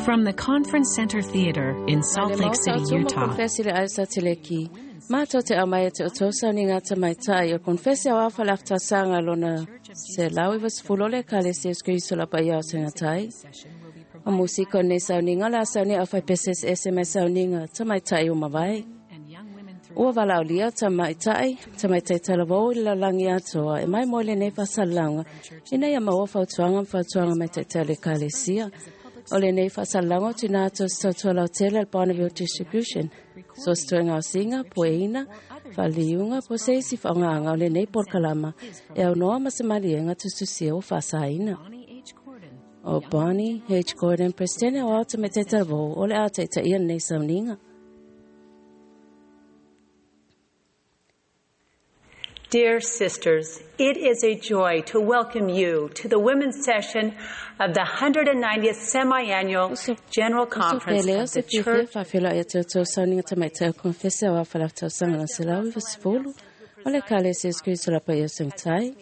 From the Conference Center Theater in Salt Lake City, Utah. Konfesi le ai Sateleki. Mātou te au mai e te o tausauniga tamaitai o konfesi au afa le afatasaga lona 190 o le Ekalesia Iesu Keriso la paia o segatai. O musika o lenei sauniga o le a saunia au faipese eseese mai sauniga tamaitai ua mavae. Ua valaaulia tamaitai, tamaitai talavou i le lalolagi atoa e mai mo i lenei faasalalauga ina ia maua fautuaga ma fautuaga mai taitai o le Ekalesia. O lenei faasalalauga o tuuina atu o se tautua lautele a le Bonneville Distribution. So se toe gaosiga, pueina, faaliuga, po o se isi faaaogāga o lenei polokalama e aunoa ma se maliega tusitusia ua faasaina. O Bonnie H. Gordon, Peresetene o Ao Tamaitai Talavou, o le a taitaia lenei sauniga. Dear sisters, it is a joy to welcome you to the women's session of the 190th Semi-Annual General Conference of the Church. Faafeiloai ia te outou sauniga tamaitai o Konefesi aua Falaftausaga lona 190 o le Ekalesia Iesu Keriso la Paia o Segatai.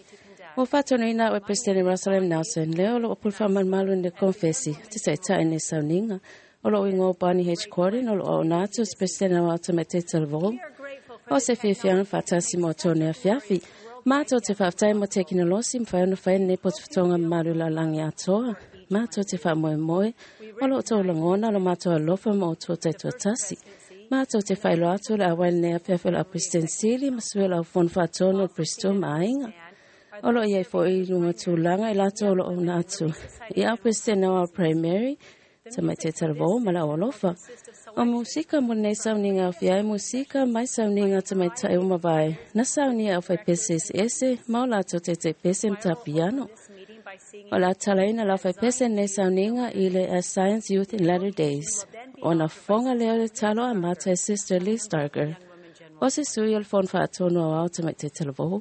Ua faatonuina au e Peresetene Russell M. Nelson, lea o loo pule faamalumalu i le Konefesi, te taitai i lenei sauniga. O lou igoa o Bonnie H. Cordon, o loo auauna atu o se Peresetene Aoao Tamaitai Talavou. O se fiafiaga faatasi mo outou nei afiafi. Matou te faafetai mo tekinolosi mafai ona fai lenei potopotoga mamalu i lalolagi atoa. Matou te faamoemoe o lo outou lagona lo matou alofa ma outou taitoatasi. Matou te faailoa atu le auai lenei afiafi o le au Peresetene Sili ma sui o le au Fono Faatonu o le Peresetene ma aiga. O lo o i ai foi i luga tulaga i latou o lo o auauna atu i au Peresetene o Primary, Tamaitai Talavou ma le au alofa. O musika mo lenei sauniga aofia ai musika mai sauniga tamaitai ua mavae na saunia e aufaipese eseese ma o latou taitaipese ma tapiano. O le a talaina le aufaipese lenei sauniga i le As Zion's Youth in Latter Days. Ona fofoga lea o le talo amata e Sister Lee Starger, o se sui o le Fono Faatonu Aoao Tamaitai Talavou.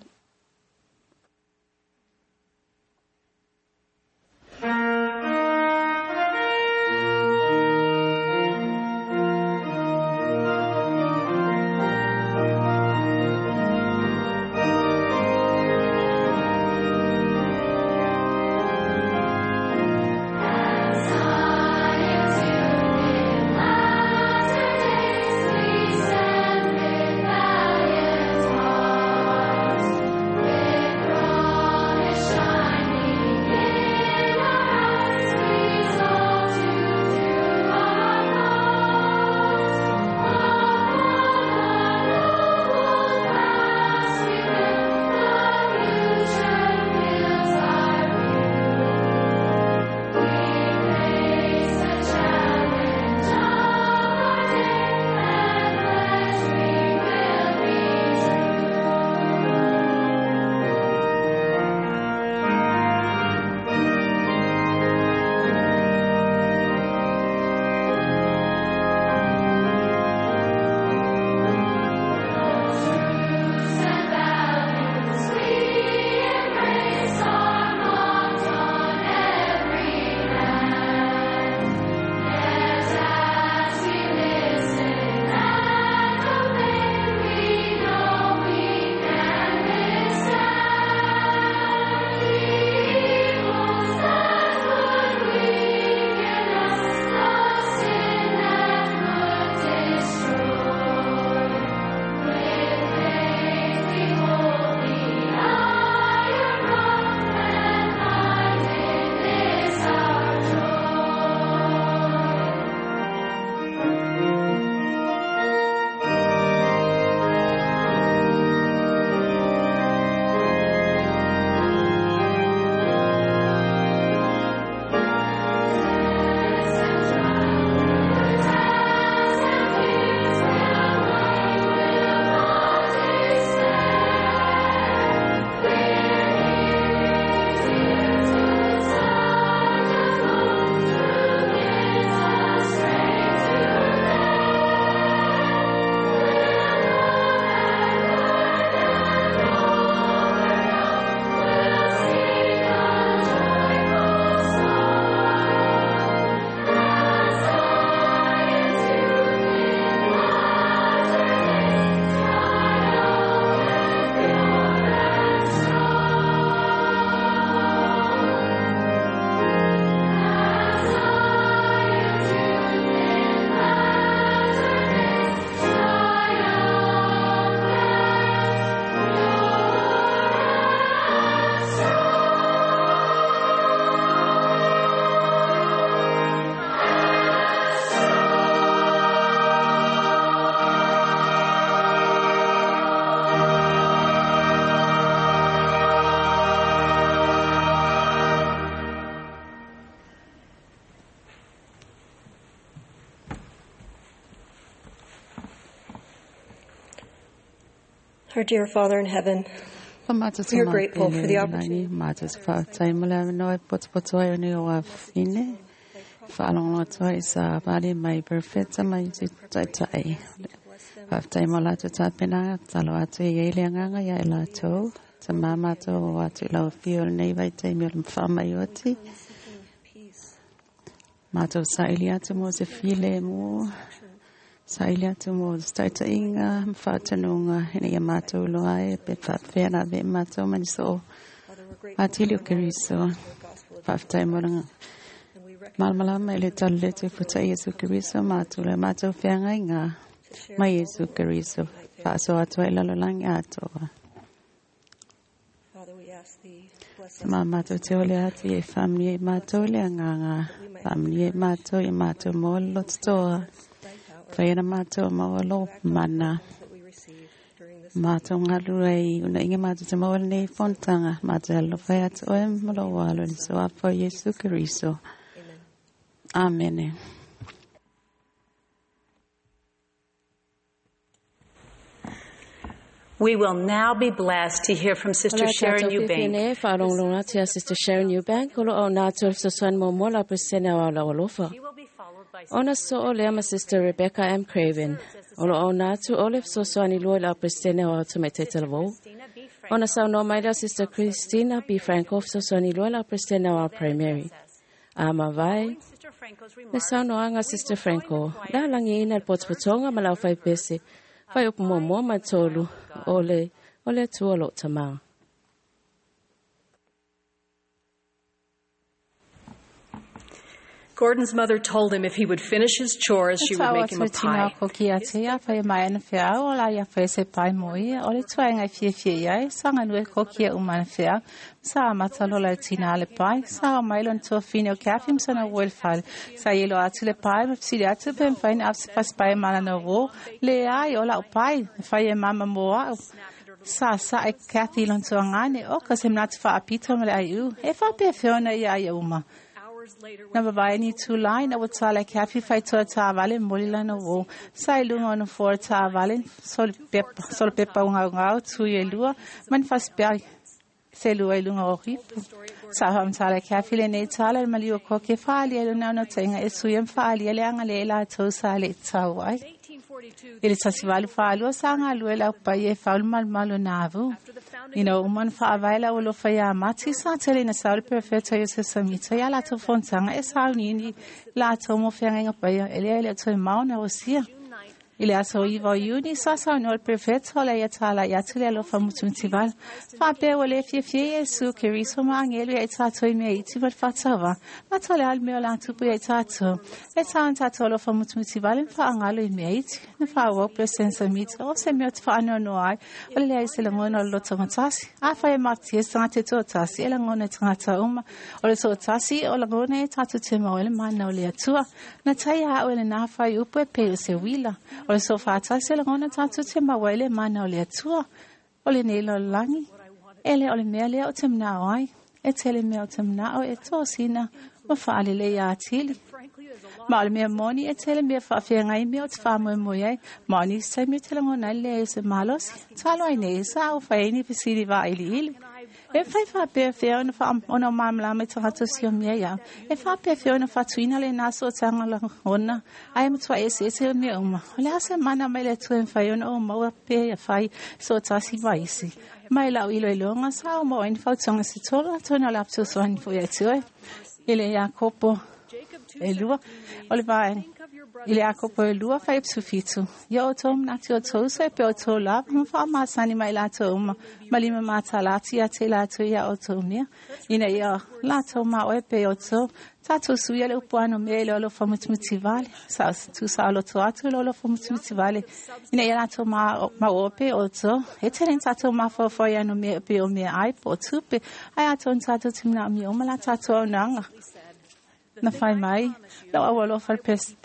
Our dear Father in heaven, we are grateful for the opportunity. Saili atu mo taitainga mfaatanunga ina ia mātou loa e pe whaafea na ve mātou maniso atili o Keriso whaaftai moranga malmalama ele talele puta Yesu Keriso mātou le mātou whianga inga mai Yesu Keriso whaaso atua ilalolangi atoa. Ma mātou te ole atu e whamni e mātou le anganga whamni e mātou i mātou mō lototoa. Whaina mātou maua lō mana. Mātou ngā i una inga mātou te maua nei fontanga. Mātou alo whai atu oe malo walo ni so apo Yesu Keriso. Amen. We will now be blessed to hear from Sister Sharon Eubank. Sister Sharon Eubank, Ona so o lea ma Sister Rebecca M. Craven. Olo o nātu ole fesoasoani lua i le Peresetene o Tamaitai Talavou. Ona saunoa mai lea Sister Christina B. Franco fesoasoani lua i le Peresetene o Primary. A mavae, le saunoaga Sister Franco, le alagiina le potopotoga ma lau faipese, fai upu muamua ma tolu o le Atua o loo tamā. Gordon's mother told him if he would finish his chores, she would make him a pie. Sa sa e Kathy lontuangane o ka semnat fa apito mele ai e fa pe feona ia ia uma. Na vavae ni tūlai na watala ke afi whaitoa tāwale moli lana wō. Sa i lunga ona fōra tāwale, solo pepa unga ungau, tui e lua, man whaspea se lua i lunga o ripu. Sa hom tala ke afi le nei tala le maliua koke whaali e luna ona tenga e sui am whaali e le anga le ela tau sa le tau ai. I le tasivalu whaalua sa ngā lua lau pai e whaulu malu malu nāvu. Ina uman whaavaila o lofa ia mati sa tele na sauli perfecto Joseph Smith ia latou fontanga e sauniuni latou mo feagaiga paia e lea e le o toe maona o sia. I le aso iva o Iuni sa saunoa le perfecto le ia tala i atu le alofa mutumutivala. Faapea ua le fiafia Iesu Keriso ma agelu ia i tatou i mea iti ma le faatauva. Matou le ale mea o le atupu ia i tatou. E tauna tatou alofa mutumutivala ma faagalo i mea iti. Na faauau President Smith o se mea o te faanoanoa ai o le leai se lagona o le loto gatasi. Afai e matie se tagata e toatasi e lagona e tagata uma. O le toatasi o lagona e tatou te maua e le mana o le Atua. Na taia au e lenā fai upu e pei o se uila. O le sofatasi o lagona tatou te maua e le mana o le Atua. O le nei lalolagi. E le o le mea lea o te manao ai. E tele mea o te manao e tōsina ma faalelei ia atili. Ma o le mea moni e tele mea faafeagai mea o te faamoemoe ai. Ma o nisi taimi o te lagona ai le leai o se malosi. Talo ai nei sa au fai ai ni fesili vailiili. E whai whapea whia ona māmalama i tagata si o mea ia. E whapea whia ona whatuina le nā so tanga lagona. Ai matua e se te o mea uma. O le asa mana mai le tue mwhai ona o maua pea ia whai so tasi vaisi. Mai lau ilo i loanga sa o maua ini whautonga se tolo atona o le apto soani fo ia tue. Ile Iakopo e lua o le vaenga. I le Iakopo e lua fai psufitu. Ia o tō mnati o tō uso e pe o tō lava ma whaamasani mai lātou uma. Ma lima mātalati a te lātou ia o tō mea. Ina ia lātou ma oe pe o tō. Tātou suia le upuano mea i le olo whamutumuti vale. Sa tu sa olo tō atu le olo whamutumuti vale. Ina ia lātou ma oe pe o tō. E te ren tātou mawhawhai ano mea pe o mea ai po o tupe. Ai ato tātou timna o mea uma la tātou au nanga. Na whai mai, lau au alofa le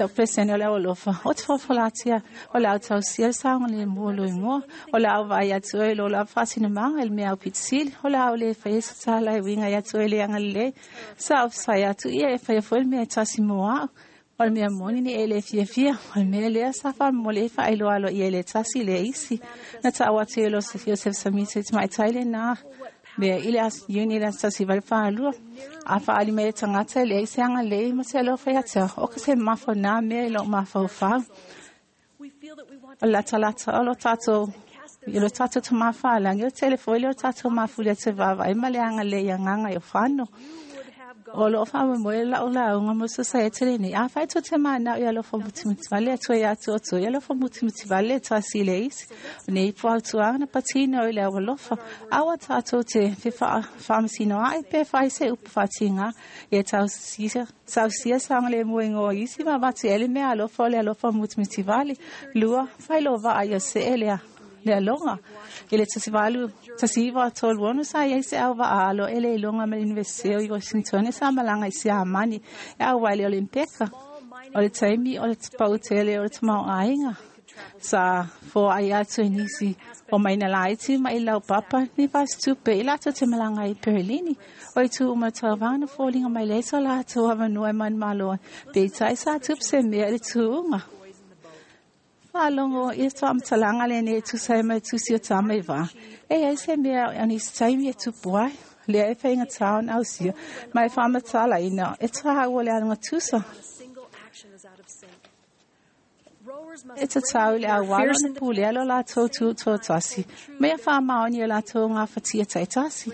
pesene o le au alofa. O te whawhalatia o le au tausia le saonga le mua lo ingoa. O le au vai atu e lo la whatina manga ele mea au pitsili. O le au le whai esa tala e winga i atu e le anga le. Sa au sai atu ia e whai afo ele mea e tasi mua au. O le mea moni ni e le fiafia, o le mea lea sa faamolemole e faailoa aloaia i le tasi le isi. Na ta'u atu e Iosef Samita i tamaitai lenā mea i le aso Iuni i le aso 1842. A fa'aali mai le tagata e leai se agalelei ma se alofa ia te au, o ka se mafa o nā mea i lo'u mafaufau. O le latalata o lo tatou i lo tatou tamāfālagi, o tele foi le o tatou mafuli atu e vaavaai ma le agalelei i agaga i o fano. O loo faamoemoe la'u lauga mo sosaiete lenei. Afai tou te mana'o i alofa mutimutivale atu ai atu o toi alofa mutimutivale e tasi i le isi. O nei puautuaga na patino i le aualofa. Aua tatou te fefaamasinoa'i pe fai se upu faatigā. Ia tausia saogalemu e igoa isi ma avatu i ai le mea alofa o le alofa mutimutivale. 2. Failova'a ia se'e lea le aloga. I le 1836 sa iai se au va'a alo e le iloga ma le Iunivesite o Washington sa malaga i Siamani e auai le Olimpeka. O le taimi o le pa'utele o le tamaoaiga sa foai atu e nisi o maina laiti ma i laupapa ni fasitupe i latou te malaga ai i Perelini. O itu uma tauvaga na foliga mai leai so latou avanoa e manumalo ai. Peitai sa tupu se mea i le tuuga. Faalogo i faamatalaga lenei e tusa ai ma le tusi o tama i vā. E iai se mea o nisi taimi e tupu ai, lea e faigatā ona ausia, ma e faamatalaina e tāua le aluga tusa. E tatau i le auala ona pulea lo latou tutoatasi, ma ia faamaoni o latou gafatia taitasi.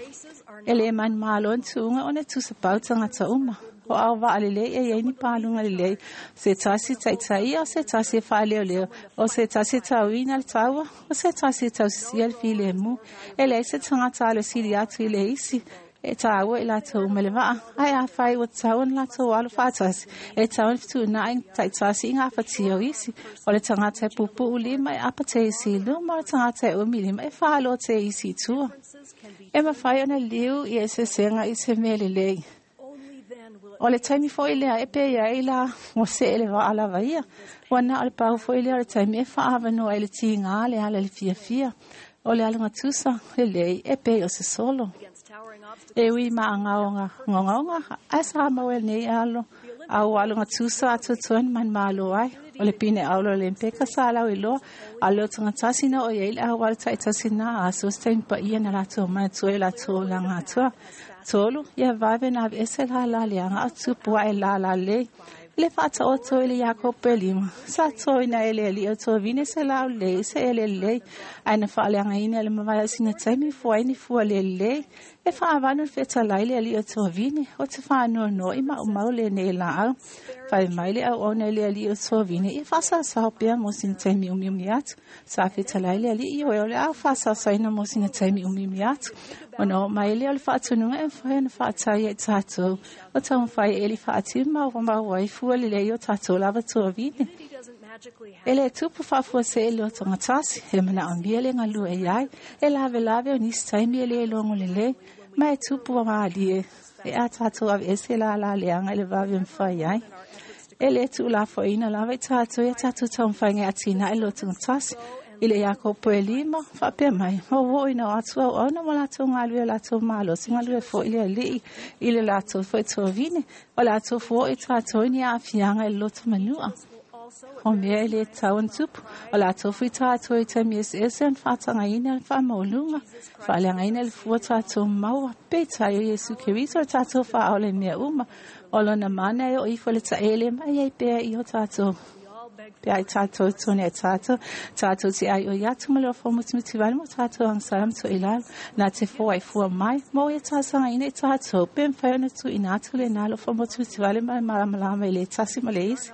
E lē manumalo ni tuuga ona e tusa pau tagata uma. O ao va'alelei e iai ni paluga lelei, se tasi ta'itaia, o se tasi e fa'aleoleo, o se tasi e tauina le taua, o se tasi e tausisia le filemu. E leai se tagata alosili atu i le isi, e tāua i latou uma le va'a. Ae afai ua tatau ona latou alo fa'atasi, e tatau ona fetu'una'i ta'itasi i gafatia o isi. O le tagata e pupu'u lima e apa te isi i luma, o le tagata e umi lima e fa'aloa te isi i tua. E mafai ona liu i eseesega i se mea lelei. O le taimi foi lea e pei ai la ua se'e le va'a lava ia. Ua na o le pau foi lea o le taimi e fa'aavanoa ai le tigā le ala i le fiafia. O le aluga tusa lelei e pei o se solo. E ui maʻagaoga ogaoga ae sa maua e lenei alo au aluga tusa atoatoa na manumalo ai. O le pine aulo o le Mpeka sa lau iloa a le o tagatasi na o iai le auala ta'itasi na aso se taimi pa'ia na latou manatua i o latou olaga atoa. 3. Ia vave na aveese lālā leaga a tupu aʻe lālā lelei. I le faataoto i le Iakopo e lima, sa toina e le ali'i o tovine se la'au lelei i se ele lelei, ae na faaleagaina e le mavae o sina taimi fua ai ni fua le lelei. E fa'avanu le fetalai le ali'i o tovine, o te fa'anoanoa'i ma'umau lenei la'au. Fai mai le auauna i le ali'i o tovine, ia fa'asaosao pea mo sina taimi umiumi atu. Sa fetalai le ali'i ioe o le a fa'asaosaoina mo sina taimi umiumi atu. Ona oo mai lea o le fa'atonuga e mafai ona fa'atai ai tatou o taumafai e eli fa'atimu ma ua mau ai fua lelei o tatou lava tuavine. E lē tupu fa'afuase'e le otogatasi, e mana'omia le galue ai ai, e lavelave o nisi taimi e lē logo lelei, ma e tupu malie e a tatou aveese lālā leaga i le vave e mafai ai. E lē tu'ulafo'oina lava i tatou ia tatou taumafaiga e atinae le otogatasi. I le Iakopo e lima, fa'apea mai, ma ua oo ina o atu auauna ma latou galue o latou malosi galue fo'i le Ali'i i le latou fo'i tovine, o latou fuo'i tatou i ni a'afiaga i le loto manu'a. O mea e lē tatau ona tupu, o latou fui tatou i taimi eseese ona fa'atagaina le fa'amaualuga, fa'aleagaina le fua tatou maua, peitai o Iesu Keriso le tatou fa'aola i mea uma. O lona mana e oo ifo i le ta'ele ma e ai pea i o tatou pe ai tatou tone e tatou, tatou te ai o i atu ma le ofo mutimuti vale mo tatou agasala ma to'ilalo, na te foai fua mai, mo ia talosagaina i tatou, pe mafai ona tuuina atu lenā le ofo mutimuti vale ma le malamalama i le tasi ma le isi.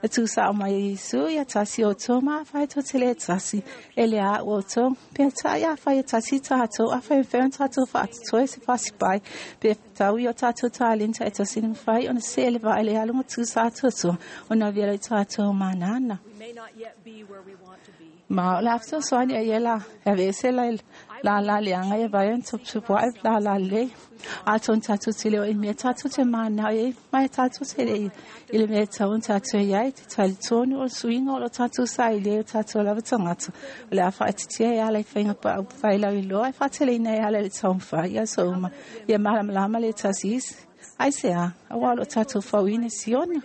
Na tuusa'o mai e Iesu ia tasi outou ma afai tou te lē tasi, e le a'u outou. Peitai afai e tasi tatou, afai e mafai ona tatou fa'atotoe se fasipai, pe tau i o tatou talenta e tasi na mafai ona se'e le va'a i le aluga tusa atoatoa ona avea loa i tatou manana. Ma o le a fesoasoani ai e la e aveese la lālā leaga ia vai ona tuputupu aʻe lālā lelei. Atonu tatou te le o i mea tatou te manao i ai, ma e tatou te le i le mea e tatau ona tatou i ai, te talitonu o le suiga o lo tatou saili ai o tatou lava tagata, o le a fa'aititia e ala i faiga pa'u failauiloa e fa'ateleina e ala i le taumafai i aso uma, ia malamalama le tasi isi. Aisea? Auā o lo tatou fauina Siona.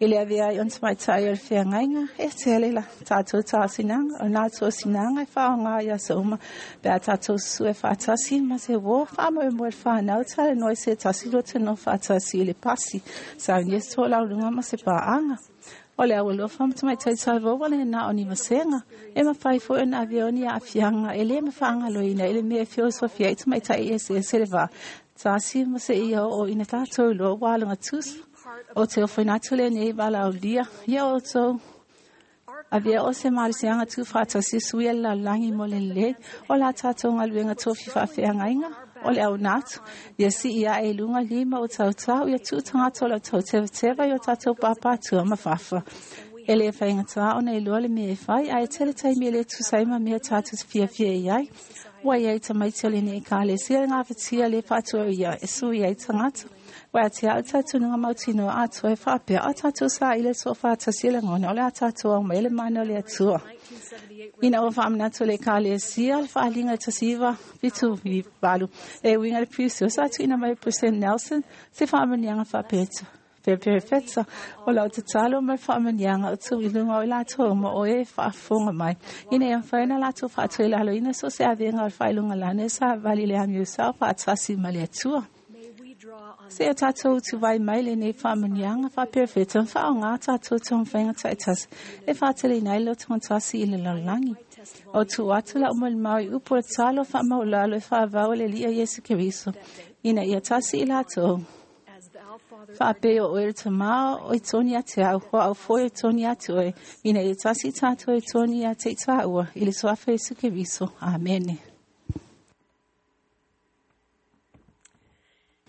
I le avea ai ona tamaitai o le feagaiga e tele la tatou taosinanga o na tosinanga e faaaogā i aso uma pe a tatou susu e faatasi ma se uō faamoemoe le fanau talanoa i se tasi lua tanoa faatasi i le pasi saunia se toʻalauluga ma se paaga o le aualofa ma tamaitai talavou ua lenā o ni vasega e mafai foi ona avea o ni aafiaga e lē mafaagaloina i le mea e feosofi ai tamaitai eseese le vā tasi ma seia oo ina tatou iloa ua aloga tusa o te ofoina atu lenei valaaulia ia outou avea o se malosiaga tuufaatasi sui a le lalolagi mo le lelei o la tatou galuega tofi faafeagaiga o le auna atu ia sii aʻe i luga lima o tautau ia tuu tagata o le tautevateva i o tatou papatua ma fafa e lē faigatā ona iloa le mea e fai ae tele taimi e lē tusa ai ma mea tatou te fiafia i ai ua iai tamaiti o lenei ekalesia le gafatia lē faatuaia e sui ai tagata ua ate au tatunuga mautinoa atoa e faapea o tatou saili le soʻofatasi e lagona o le a tatou au mai le mana o le Atua. Ina ua faamanatu le ekalesia le faaliga le 1978 e uiga le piusio sa tuuina mai President Nelson se faamaniaga faapeta pepefeta o lau tatalo ma le faamaniaga o tuu i luga o i latou ma o e faafofoga mai ina ia mafai ona latou faatoilaloina so o se avega o le faailoga lana e savali le amiosao faatasi ma le Atua. Se o tatou utuvai mai lenei faamaniaga faaperefeta ma faaaogā tatou taumafaiga taitasi e faateleina ai le lotogatasi i le lalolagi. O tuu atu lau molimau i upu o le tatalo faamaulalo e faavau e le Alii Iesu Keriso ina ia tasi i latou. Faapea o oe le tamā o i toni ate au, o au foi o toni ate oe, ina ia tasi tātou e toni ate i tāua, i le suafa Iesu Keriso. Amene.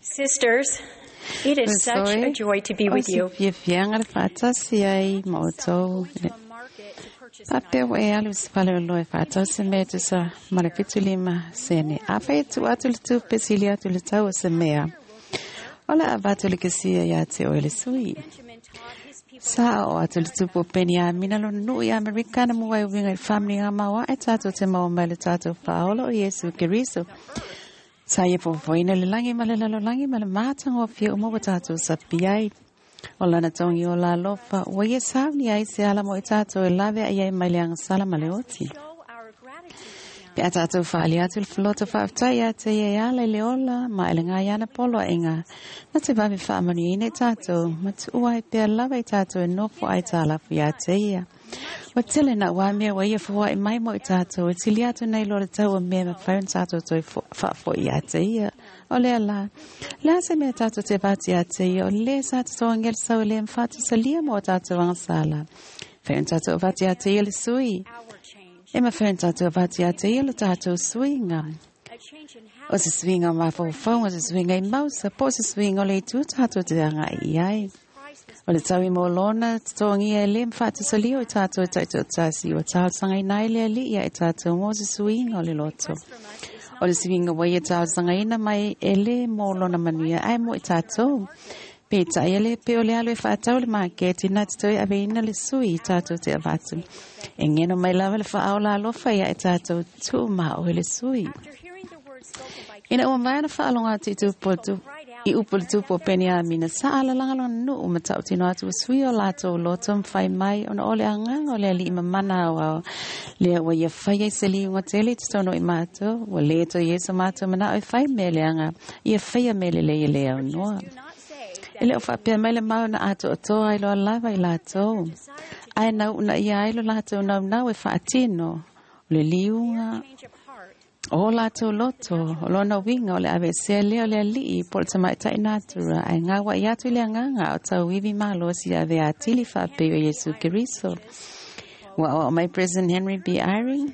Sisters, it is such a joy to be with you. O se fiafiaga le faatasi ai ma outou. Faapea ua e alu i se faleoloa e faatau se mea e tusa ma le 75 sene. Afai e tuu atu le tupe sili atu le tau o se mea, o le a avatu le kesia iā te oe le sui. Sa aoao atu le tupu o Peniamina lona nuu i Amerika na mua e uiga i le faamanuiaga maoae tatou te maua mai le tatou Faaola o Iesu Keriso. Sa ia fofofoina le lagi ma le lalolagi ma le matagofie uma ua tatou sapi ai. O lana togi o la alofa, ua ia sauni ai se ala mo i tatou e lave ai ai mai le agasala ma le oti. Pe a tatou faali atu le faloto faafetai ia te ia e ala i le ola ma e le ngai ana poloaiga na te vave faamanuiaina i tatou ma tuua ai pea lava i tatou e nofo ai tālafu ia te ia. Ua tele na ua mea ua ia foai mai mo i tatou e tili atu nei loa le tau o mea mafai ona tatou toe faafoi ia te ia. O lea la, le a se mea tatou te avatu ia te ia, o le sa totogi le sau e le mafatusalia mo a tatou agasala. Fai ona tatou avatu ia te ia le sui. E mafai ona tatou avatu ia te ia lo tatou suiga. O se suiga o mafaufauga, o se suiga i mausa, po o se suiga o le itu tatou te agai i ai. O le tau i mō lona totogia e le mafatusalia o i tatou e taitoatasi ua talosagaina ai le Alii ia i tatou mo se suiga o le loto. O le suiga ua ia talosagaina mai e le mō lona manuia ae mo i tatou. Peitai e le pei o le alu e faatau i le maketi na te toe aveina le sui i tatou te avatu. E geno mai lava le faaola alofa ia i tatou tuu ma oe le sui. Ina ua maea ona faalogo atu i tupu i upu le tupu o Peniamina, sa alalaga lona nuu ma tautino atu ua sui o latou loto ma fai mai ona o le agaga o le Alii mamana aoao lea ua ia fai ai se liuga tele i totonu o i matou, ua le toe i ai so matou manao e fai mea leaga, ia faia mea lelei e le aunoa. E le o faapea mai le mau na atoatoa ai loa lava i latou, ae na uunaia ai lo latou naunau e faatino o le liuga o latou loto, o lona uiga o le aveesea lea o le alii po o le tamaitai natura, ae gaua'i atu i le agaga o tauivi malosi ia avea atili faapei o Iesu Keriso. Ua aoao mai President Henry B. Eyring,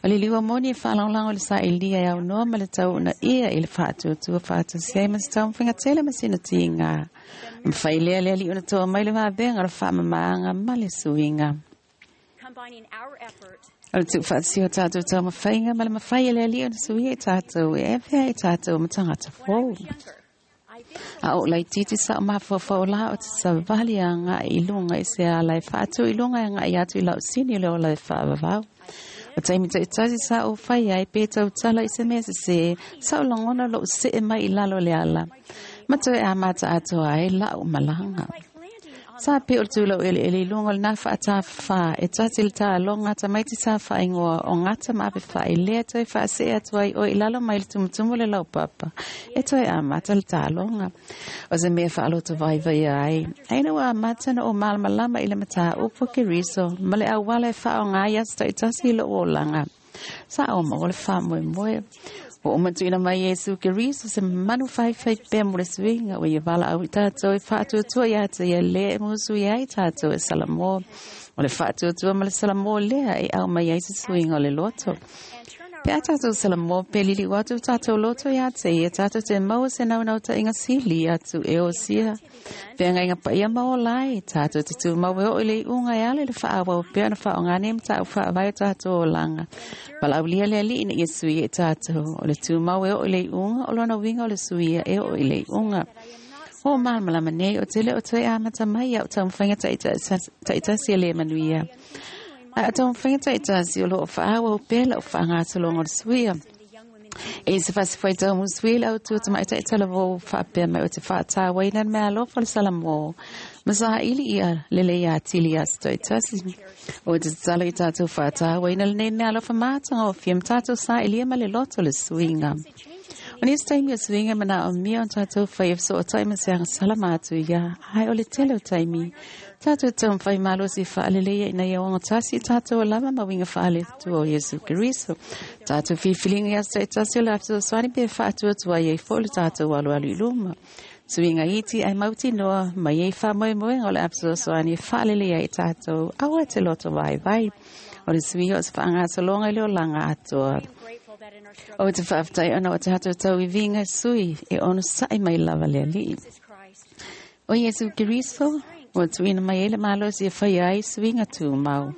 O le liua moni e faalagolago i le sailia e aunoa ma le tau uunaia i le faatuatua faatasi ai ma se taumafaiga tele ma sina tiga. Mafai lea le Alii ona toa mai le vavega o le faamamaaga ma le suiga. O le tuufaatasia o tatou taumafaiga ma le mafai e le Alii ona suia i tatou e avea i tatou ma tagata fou. A o laitiiti sa o mafaufau la o te savali agai i luga i se ala e faatu i luga e agai atu i lau sini o le ola e faavavau. O taimi taitasi sa ou fai ai pe tautala i se mea sesē, sa ou lagona lou see mai i lalo o le ala, ma toe amata atoa ai lau malaga. Sa pe o le tūlau ele ele lunga le nafa a tāwha e tati le tālonga tamaiti tā whaingoa o ngata maape wha i lea toi whaasea atu ai o i lalo mai le tumutumu le laupapa e toi a mata le tālonga. O se mea whaaloto vai vai ai. Aina ua mata na o malamalama i le mataa upo ke riso ma le awala e wha o ngā ia tasi i lo o langa. Sa o ma o le wha moe moe. O matuina mai Yesu Keriso se manu fai fai pe mo le suiga o ia vala au i tātou e whaatuatua ia te ia le e musu ia i tātou e salamo. O le whaatuatua ma le salamo lea e au mai ai se suiga o le loto. Pe a tātou salamo pe lili watu tātou loto ia te ia tātou te maua se nau nau ta inga sili atu e o sia. Pe anga inga pa ia mao lai tātou te tū mau e o ile unga e ale le whaawau pe ana wha o ngā nem tāu whaawai o tātou o langa. Pala au lia lea li ina ia sui e tātou. O le tū mau e o ile unga o lona winga o le sui e o ile unga. O malamalama nei o tele o toe amata mai au taumawhainga taitasi e le manuia. A taumawhainga taitasi o loo whaawa o pela o whaangatolonga o le suia. E se whasifai tau musui lau tua tamai taitala vo whaapea mai o te whaatāwa ina mea alofa le salamo. Masaha ili ia lele ia tili ia taitasi. O te tatalo i tātou whaatāwa ina le mea alofa mātanga o whiam tātou sa ilia ma le loto le suinga. O nisi taimi o suinga mana o mia o tātou whai e so o taima se anga salama atu ia. Ai o le tele o taimi. Tātou tau mwhai malo si whaaleleia ina ia wanga tasi tātou o lama ma winga whaale tu o Yesu Keriso. Tātou whiwhilinga ia stai tasi o le afto swani pe whaatua tua ia i fo le tātou alu alu i luma. Suinga iti ai mauti noa mai ei wha moe moe o le afto swani whaaleleia i tātou awa te loto vai vai. O le suinga o te whaangatolonga i le o langa atoa. O te whaaftai ona o te hato tau i vinga sui e ono sai mai lava le ali. O Yesu Keriso, o tuina mai ele malo si e whai ai suinga tū mau.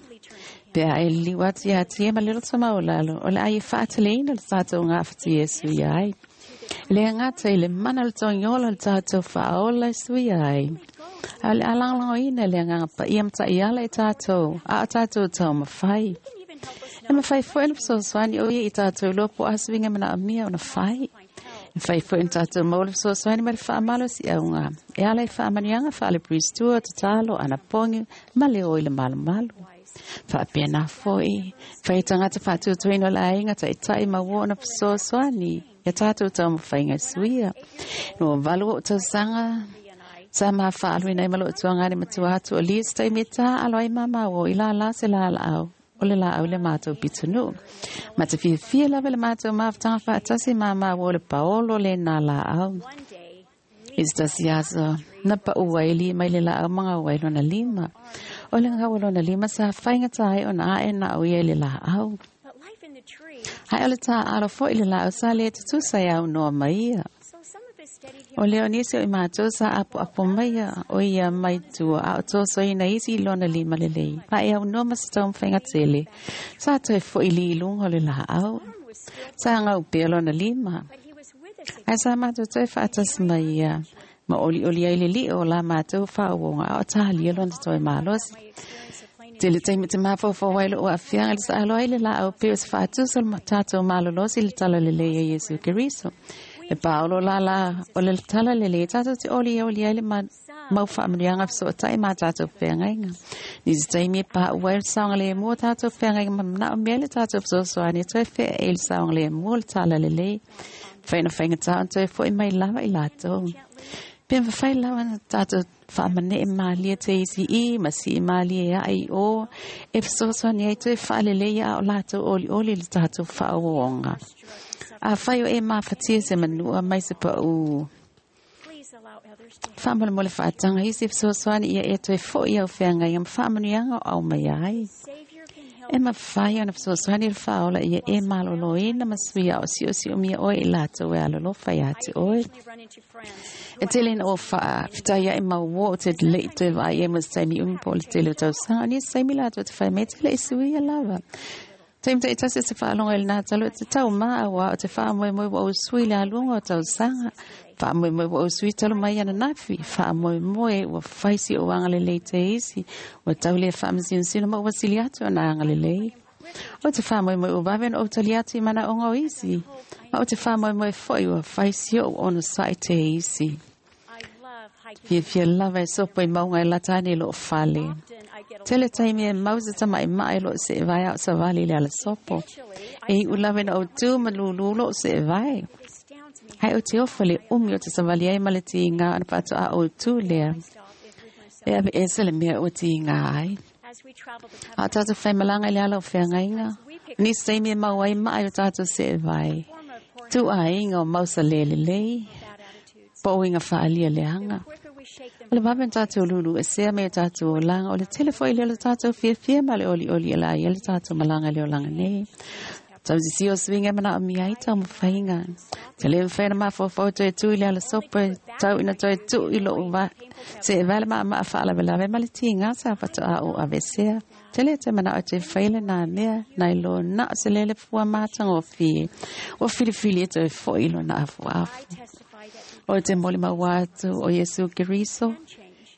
Pea e liwa atu ia tia ma lelo tamau lalo, o le ai e whaataleina le tātou ngā whatu Yesu ia ai. Le ngata i le mana le tongiola le tātou whaola e sui ai. A le alanglango ina le nganga pa ia mata iala e tātou, a o tātou tau mawhai. E mawhai fo ena whasoswani o ia i tātou lopo asuinga mana amia o na whai. E whai fo ena tātou maule whasoswani ma le whaamalo si aunga. E ala i whaamanianga whaale pristua te tālo ana pongi ma le o i le malu malu. Whaapena foi, whai tangata whaatutuina la ainga tai tai ma wona whasoswani. Ia tātou tau mawhainga suia. No walu o tausanga, sa ma whaalu ina i malo tuanga ni matua atu o lis tai me tā alo ai mama o i la la se la la au. O le la au le mātou pitunu. Ma te whiwhia lawe le mātou mawhatanga whaatasi mama o le paolo le nā la au. I se tasi aso, na pa uaili mai le la au manga uai lona lima. O le ngā lona lima sa whainga tāi o nā e nā o ia le la au. Hai o le tā alo fo i le la au sa le tutusa i au noa mai ia. O leo nisi o i mātou sa apo apo mai o ia mai tua a o tōso ina isi i lona lima le lei. Pa e au noa masa tau mwhainga tele. Sa toe fo i li lunga o le la au. Sa ngau pea lona lima. Ai sa mātou toe whaatas mai ia. Ma oli oli ai le li o la mātou whaawonga a o tahalia lona toe malosi. Te le taimi te mawhawha wailo o awhianga le sa alo ai le la au peo se whaatusa le tātou malolosi le tala le lei a Yesu Keriso. E paolo la la o le tala le le tātou te oli e oli ai le mau whaamanianga so tai mā tātou whengainga. Ni te taimi e pā uai le saonga le mua tātou whengainga ma mana o mea le tātou whasosoani toe whea e le saonga le mua le tala le lei. Whaina whainga tāon toe fo i mai lava i lātou. Pea whawhai lawa na tātou whaamane e mālia te isi i, ma si i mālia e ai o, e whasosoani ai toe whaalele ia o lātou oli oli le tātou whaawonga. A whai o e māwhatia se manua mai se pa u. Whaamala mo le whaatanga isi whasosoani ia e toe fo i au wheanga ia mwhaamanuianga o au mai ai. E mawhai ona whasosoani le whaola ia e malolo ina masuia o sio sio mia oe i lātou e alolo whai ate oe. E tele ina o whaa, whitai ia e mau o te lei toe vai e mas taimi umi po le tele o tausanga, ni saimi lātou te whai me tele i suia lava. Taimi tai tasi te whaalonga i le nā talo te tau maa wa o te whaa moe moe wa o sui le alunga o tausanga. Whaa moe moe wa o sui talo mai ana nafi. Whaa moe moe wa whaisi o angalelei te isi. Wa tau le whaa masinsina ma wasili atu ana angalelei. O te whaa moe moe o wawen o tali atu i mana onga o isi. Ma o te whaa moe moe foi wa whaisi o ono sai te isi. Fia lava e sopo i maunga e latani lo fale. Tele taimi e mausa ta mai mai lo se vai au sa vali le ala sopo. E i ulawe na o tū ma lulu lo se vai. Hai o te ofa le umi o te savali ai ma le tiinga ana pato a o tū lea. E ave ese le mea o tiinga ai. A tātou whai malanga i le ala o whangainga. Ni seimi e mau ai mai o tātou se vai. Tū a inga o mausa lele lei. Po inga whaalia leanga. O le wawen tātou lulu e sea me tātou o langa. O le telefo i le tātou fia fia ma le oli oli e la i le tātou malanga le o langa nei. Tau si o swinga mana o mi ai tau mawhainga. Te le mwhaina maa fōfō toe tū i le ala sopo tau ina toe tū i lo uwa. Se e wale maa maa whaala welawe ma le tiinga sa pato a o awesea. Te le te mana o te whaile nā mea nai lo na o se lele fua mātanga o fie. O whiliwhili e toe fo i lo na afu afu. O te moli mawatu o Yesu Keriso.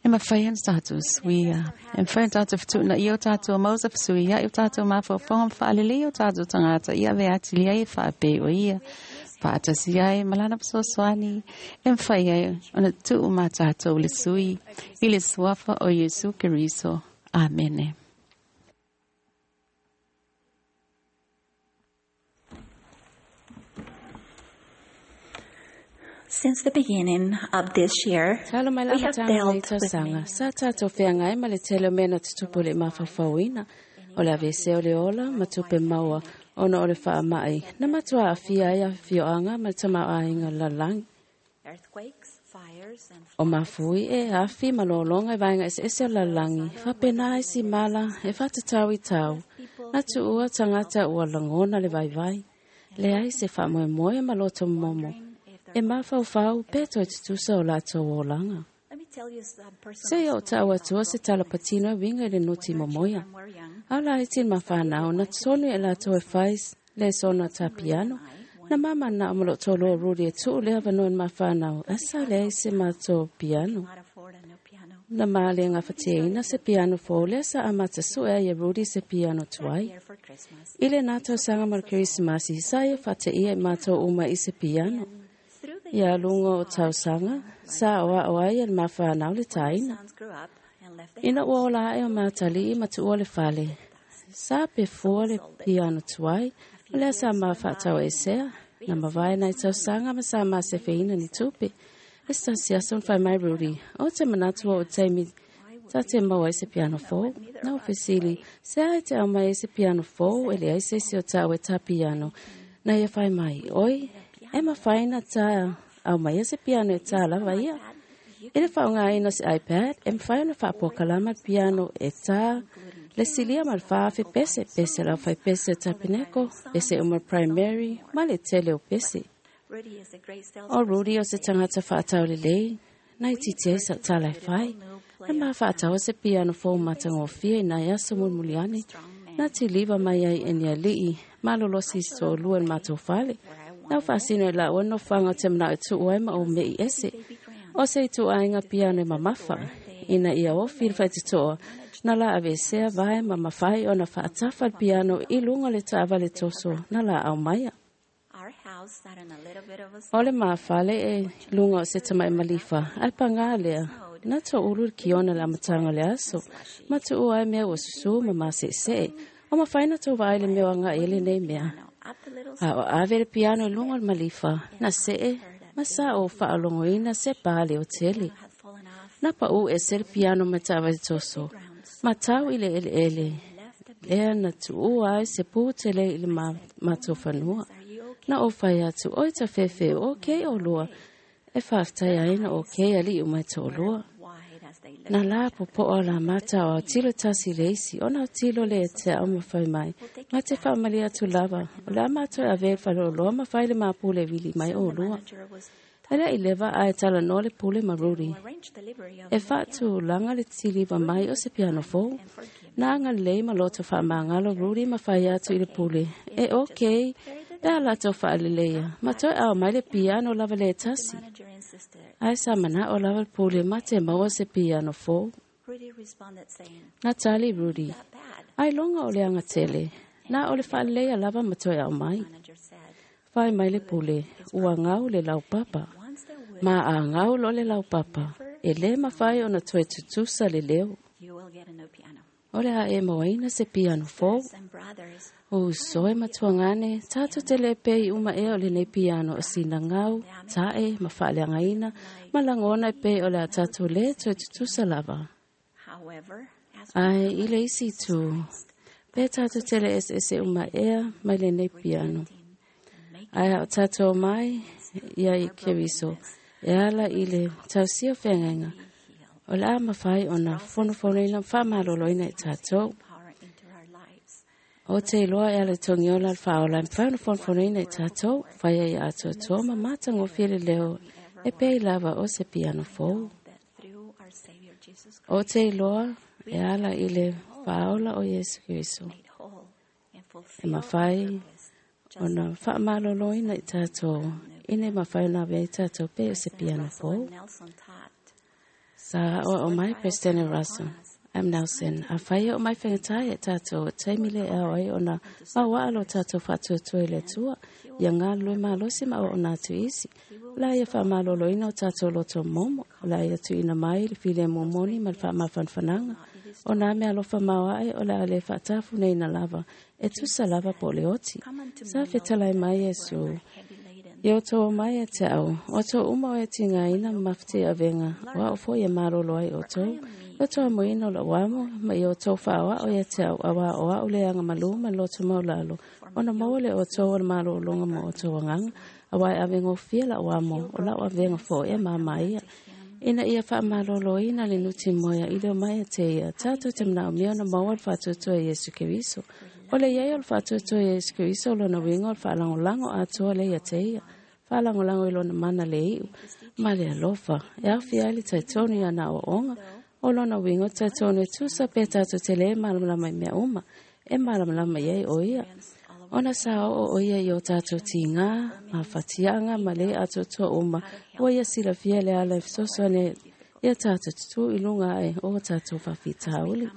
E mawhai ana tātou suia. E mawhai ana tātou whutuna i o tātou mausa whasuia i o tātou mawhawhonga mwhaalele i o tātou tangata i ave atili ai e whaape o ia. Whaatasi ai malana psosoani. E mawhai ai ona tuu mā tātou le sui i le suafa o Yesu Keriso. Amene. Since the beginning of this year, we have dealt with many. Sa tātou wheangai ma le tele o mena tutupu le mawhawhauina. O le avese o le ola, ma tupe maua, ona o le whaamai. Na matua a fia ai a whioanga ma le tamauainga lalangi. O mafui e afi ma lolonga i vaenga ese ese o lalangi. Whapena ai si mala e whatatau i tau. Na tuua tangata ua langona le vaivai. Le ai se whamoe moe ma loto momo. E mawhauwhau peto e tutusa o lātou o langa. Se o tāu atua se talapatino e winga i le noti momoia. Au la e tin mawhanau na tonu e lātou e whais le sona tā piano. Na mama na amalo tō ruri e tuu le awanoa mawhanau asa le se mātou piano. Na maale ngā whateina se piano fōle sa amata sua e ruri se piano tuai. I le nātou sanga mo le Kerisimasi sa e whate ia e mātou uma i se piano. Ia lunga o tausanga, sa oa oa i el mawhanau le taina. Ina ua ola e o mātali i matua le fale. Sa pe fua le piano tuai, o lea sa mawhatau e sea, na mawai nai tausanga ma sa masewheina ni tupe. E sa siasa un whai mai ruri, o te manatua o teimi ta te maua i se piano fō. Na o fesili, se ai te au mai i se piano fō, ele ai se se o tau e tā piano. Na ia whai mai, oi, e mawhaina tā au mai e se piano e tā lava ia. E le whaonga aina se iPad, e mwhai ona whaapokalama piano e tā le silia ma le whaafe pese, pese lau whai pese tapineko, pese uma primary, ma le tele o pese. O Rudy o se tangata whaatau le lei, nai titi sa tālai whai, na maa whaatau se piano fō matangofia i nai aso mulmuliani, na te liwa mai ai e nia lii, malolosi so lua mātou whale. Nau whasino e la ono whanga te mana e tuu ai ma o mei ese. O se i tuu ai ngā piano e mamafa. Ina ia o whiri whai te toa. Na la awesea vai ma mawhai o na whaatafa le piano i lunga le taawa le toso. Na la au maia. O le mawhale e lunga o se tamai malifa. Ai pangā lea. Na tō uru le kiona le amatanga le aso. Ma tuu ai mea o susu ma masese. O mawhai na tō vai le mea anga ele nei mea. A o ave le piano i lunga le malifa, na se e, ma sa o whaalongoina se pāle o tele. Na pa u e se le piano ma tawa i toso, ma tau i le ele ele, lea na tuu ai se pūtele i le mātou whanua. Na o whai atu oi ta whewhe o kei o lua, e whaftai aina o kei ali u mai tō lua. Na la popoa la mata o tilo tasi leisi, ona o tilo le te au mawhai mai. Ma te whaamali atu lava, o la mātou a whalo loa ma whaile mā pule wili mai o lua. Ele i lewa a e tala no le pule maruri. E whaatu langa le tiliwa mai o se piano fō. Nā ngā lei ma loto whaamangalo ruri ma whai atu i le pule. E okei, pea lato whaaleleia. Ma toi au mai le piano lava le tasi. Ai sa mana o lava le pule ma te maua se piano fō. Nā tali ruri. Ai longa o le anga tele. Nā o le whaaleleia lava ma toi au mai. Whai mai le pule, ua ngau le lau papa. Ma a ngau lo le lau papa. E le mawhai o na toe tutusa le leo. O le a e moaina se piano fou. O soe matuangane, tātou te le pei uma e o le nei piano o sina ngau, tae, ma whaaleangaina, ma langona e pei o le a tātou le toe tutusa lava. Ai, i le isi tū, pe tātou te le ese ese uma ea mai le nei piano. Ai a o tātou mai, ia i Keriso, e ala i le tausia whengainga. O le a mawhai o na whonofonoina whamaloloina i tātou. O te loa e ala tongiola al whaola e whaono whonofonoina i tātou, whaia i atoa toa ma mātango while leo e pei lava o se piano fou. O te loa e ala i le whaola o Yesu Kristo. E mawhai o na whaamaloloina i tātou, ine mawhai na vea i tātou pe o se piano fou. Sa o mai President Russell M. Nelson, a whai o mai whangatai e tātou, teimile e au ai o na maua alo tātou whātuatua i le tua, ia ngā lue malosi ma o nā tu isi. La ia whaamaloloina o tātou loto momo, la ia tuina mai le file momoni ma le whaamafanfananga, o nā mea alofa maua ai o le ale whaatafu nei na lava, e tusa lava po le oti. Sa whitalai mai e su. Ia o tō mai e te au, o tō uma o e tinga ina mawhiti a venga, o a o e marolo ai o tō, o tō amoina o la wamo, ma i o tō whaoa o e te au, awa o a ule anga malu ma loto maulalo, o na maua le o tō o le marolonga mo o tō anganga, a wai a vengo fia la wamo, o la o venga fo e mama ia. Ina ia wha malolo ina le nuti moea i leo mai e te ia, tātou te mnao mea na maua le whātuatua Yesu Keriso. O le iai o le whātuatua Yesu Keriso o lona winga o le whaalangolango atoa le ia te ia. Whaalangolango i lona mana le iu. Ma le alofa. E awhi ai le taitonu ia na o onga. O lona winga o taitonu e tusa pe tātou te le malamalama i mea uma. E malamalama iai o ia. Ona sa o o ia i o tātou tingā, ma whatianga, ma le atotoa uma. O ia sila fia le ala e fesoasoani ia tātou tutu i lunga ai o tātou whawhitauli.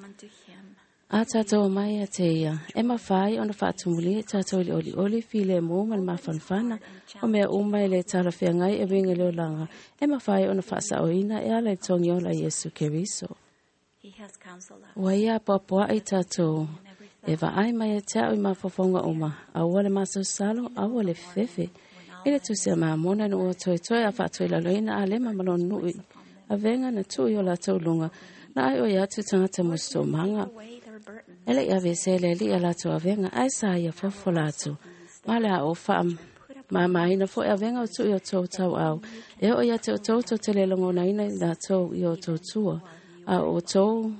A tātou mai a te ia, e mawhai ona whaatumuli e tātou i le oli oli file mō ma le mawhanwhana, o mea uma i le tala whiangai e winga leo langa, e mawhai ona whaasaoina e ala i tongi ola Yesu Keriso. Ua ia poapoa i tātou, e vaai mai e te au i mafofonga uma, aua le masausalo, aua le fefe. I le tusia maamona no ua toe toe a whaatoi laloina a lema malon nui. A venga na tui o lātou lunga, na ai o ia atu tangata musto manga. Ele ia vese le li a lātou a venga, ai sa ia fofo lātou. Male a o wha maamaina fo e a venga o tui o tau tau au. E o ia te o tau tau te le longona ina i lātou i o tau tua. A o tau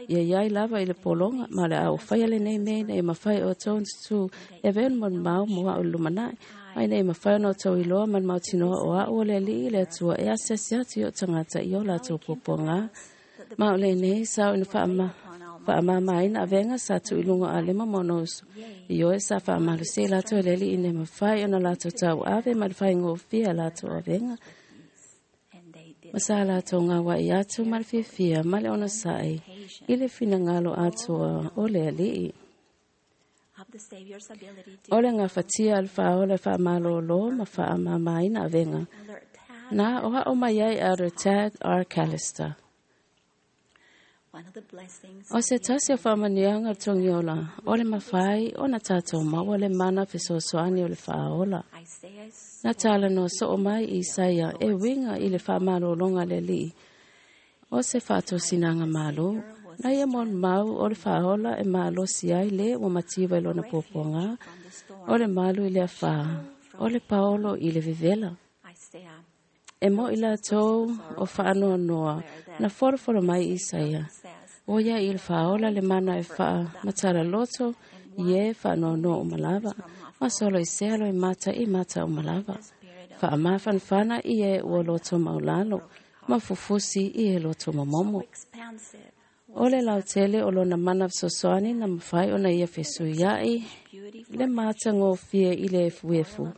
ia iai lava i le polonga, ma le au whai ale nei mea nei mawhai o tau ntutu e ven mon mau mua o lumanai. Mai nei mawhai o tau iloa man mau tinoa o a o le li i le atua e asiasi atu i o tangata i o lātou poponga. Ma o le nei sao ina whaamamaina a venga sa tu ilunga a lema monosu. I oe sa whaamalusi lātou le li i nei mawhai o na lātou tau ave ma le whai ngōwhia lātou a venga. Masa lātou ngā wai atu ma le whiwhia ma le ona sae i le whinangalo atua o le alii. O le ngā whatia al whaola whaamalolo ma whaamamaina a venga. Nā oha o mai ai a Tad R. Callister. O se tasi o whaamanianga o tongiola, o le mawhai, o na tātou maua le mana fesoasoani o le whaola. Nā tāla no so o mai Isaia e winga i le whaamalolonga le lii. O se whaatosinanga malo, na ia mon mau o le whaola e maalosi ai le ua matiwa i lona popoanga, o le malu i le awha, o le paolo i le vevela. E mo i lātou o whaanoa noa, na foroforo mai Isaia. O ia i le whaola le mana e wha matara loto, i e whaanoa noa o malava. Ma solo i sealo i mata i mata o malava. Wha mawhanwhana i e ua loto maulalo, ma fufusi i e loto mamomo. O le lautele o lona mana sosoani na mawhai ona ia fesuiai, le mata ngōfia i le efuefu.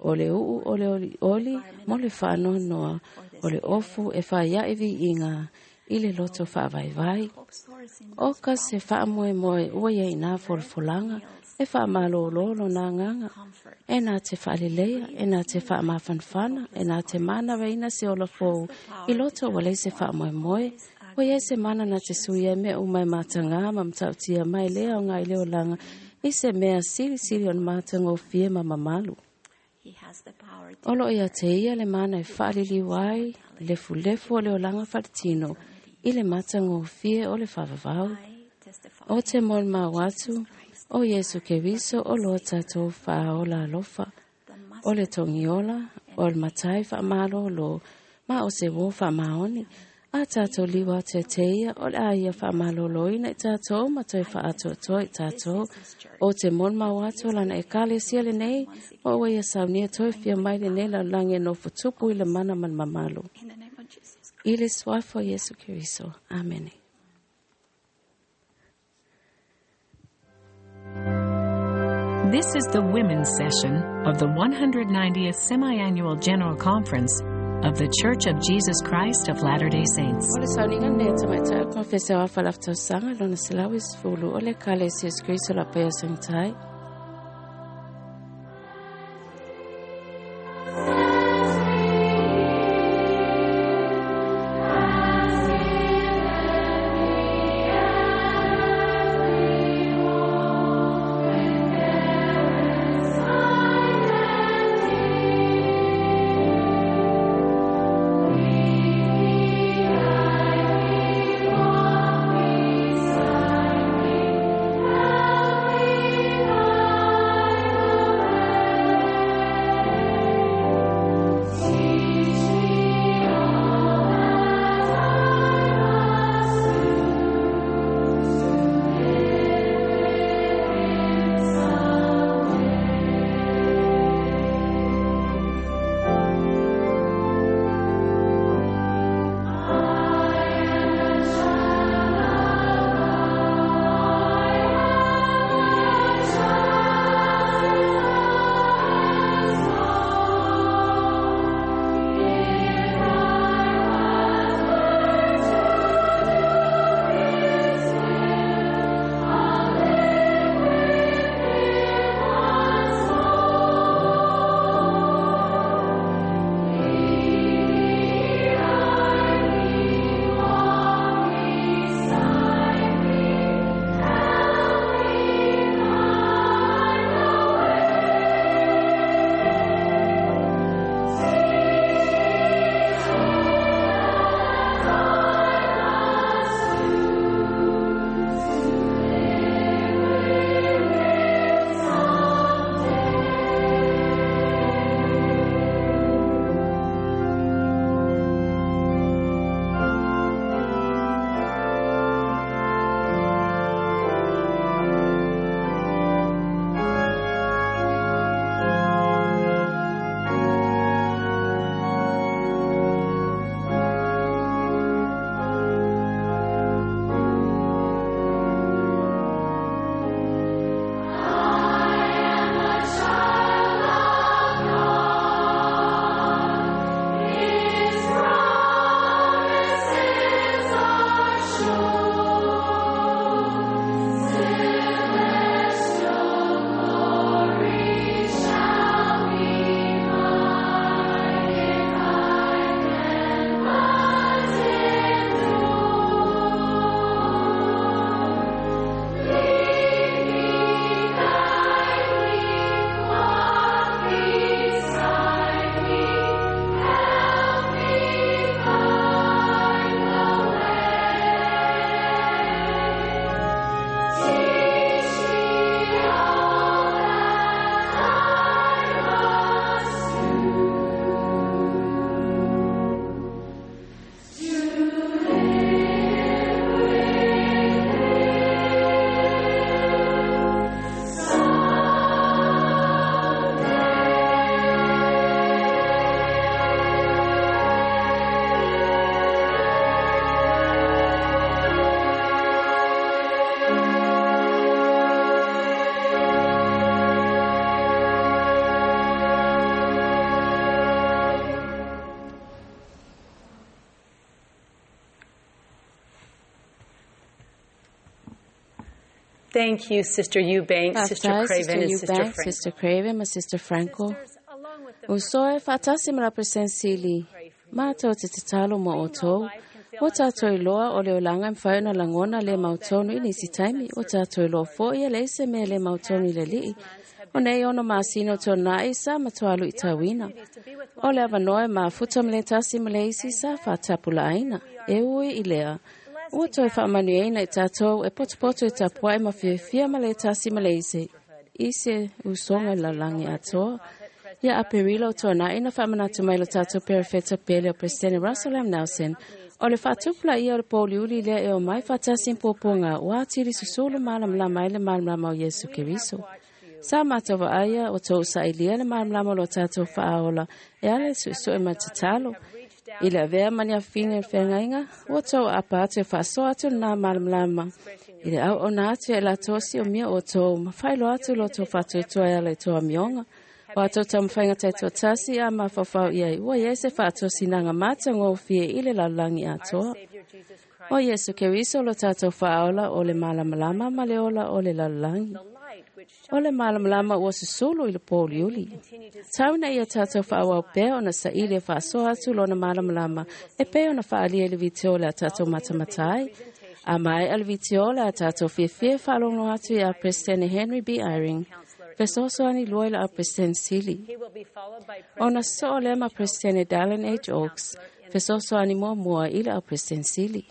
O le uu o le oli oli, mo le whaanoa noa, o le ofu e whaiaiwi i ngā, i le loto whaavaivai. O ka se whaamoe moe ua ia i nā folafolanga, E whaamalolo lo nā nganga. E nā te whaaleleia, e nā te whaamafanfana, e nā te mana reina se ola fōu. I loto wa se whaamoemoe. O ia se mana na te suia me o mai mātanga ma mtautia mai lea o ngai leo langa. I se mea sili sili on mātanga o fie ma mamalu. O lo ia te ia le mana e whaalili wai, lefu lefu o leo langa whaletino, i le mātanga o fie o le whavavau. O te mon mau atu, o Yesu Keriso o loa tātou whaola alofa, o le tongiola, o le matai whaamalo lo, ma o se wō whaamaoni, a tātou liwa te teia o le aia whaamaloloina i tātou ma toi whaatoatoa i tātou o te mon mau atu lana e kale sia le nei o ua ia saunia toi fia mai le nei laulangi e nofo tupu i le mana ma le mamalu. I le suafa o Iesu Keriso. Amene. This is the women's session of the 190th Semi-Annual General Conference of the Church of Jesus Christ of Latter-day Saints. O le sauniga nei tamaitai o konfese o afa laftausaga lona 190 o le kale Iesu Keriso la paia sangitai. Thank you, Sister Eubank, Sister Faafetai Craven, Sister and Sister Eubank, Frank. Sister Craven ma Sister Franco. Uso e faatasi ma la President Sili. Mātou te tatalo mo outou. O tātou iloa o le olanga e mawhai ona langona le mautonu i nisi taimi. O tātou iloa fo ia le ese mea le mautonu i le lii. O nei ono masino tō nai sa matualu i tauina. O le awanoe mafuta ma le tasi ma le isi sa whātapula aina. E ui i lea. Ua toi whaamanuiaina i tātou e potopoto i tapuai ma fiafia ma le tasi ma le isi. I se usonga i lalagi atoa. Ia Aperila o tōna ina whaamanatu mai lo tātou perefeta pele o President Russell M. Nelson. O le whaatupula ia o le pōliuli lea e o mai whaatasi pōpōnga o atiri susulu malamlama ai le malamlama o Iesu Keriso. Sa mātou aia o tō usailia le malamlama o lo tātou whaaola e ala e suisui ma tatalo. I le avea mani a whine le whengainga, ua tō apa atu e whaasoa atu nā malamlama. I le au ona atu e la tōsi o mia o tō, ma whailo atu lo tō whātuatua e ala i tō amionga. O atou taumafaiga taitoatasi a mafaufau i ai ua iai se faatosinaga matagofie i le lalolagi atoa. O Iesu Keriso lo tatou faaola o le malamalama ma le ola o le lalolagi. O le malamalama ua susulu i le pōuliuli. Tauna ia tatou faauau pea ona saili e faasoa atu lona malamalama e pei ona faaalia i le vitio le a tatou matamata ai. A maea le vitio le a tatou fiafia e faalogo atu ia President Henry B. Eyring. Fesoasoani lua i la President Sili. Ona soo lea ma President Dallin H. Oaks. Fesoasoani muamua i la President Sili.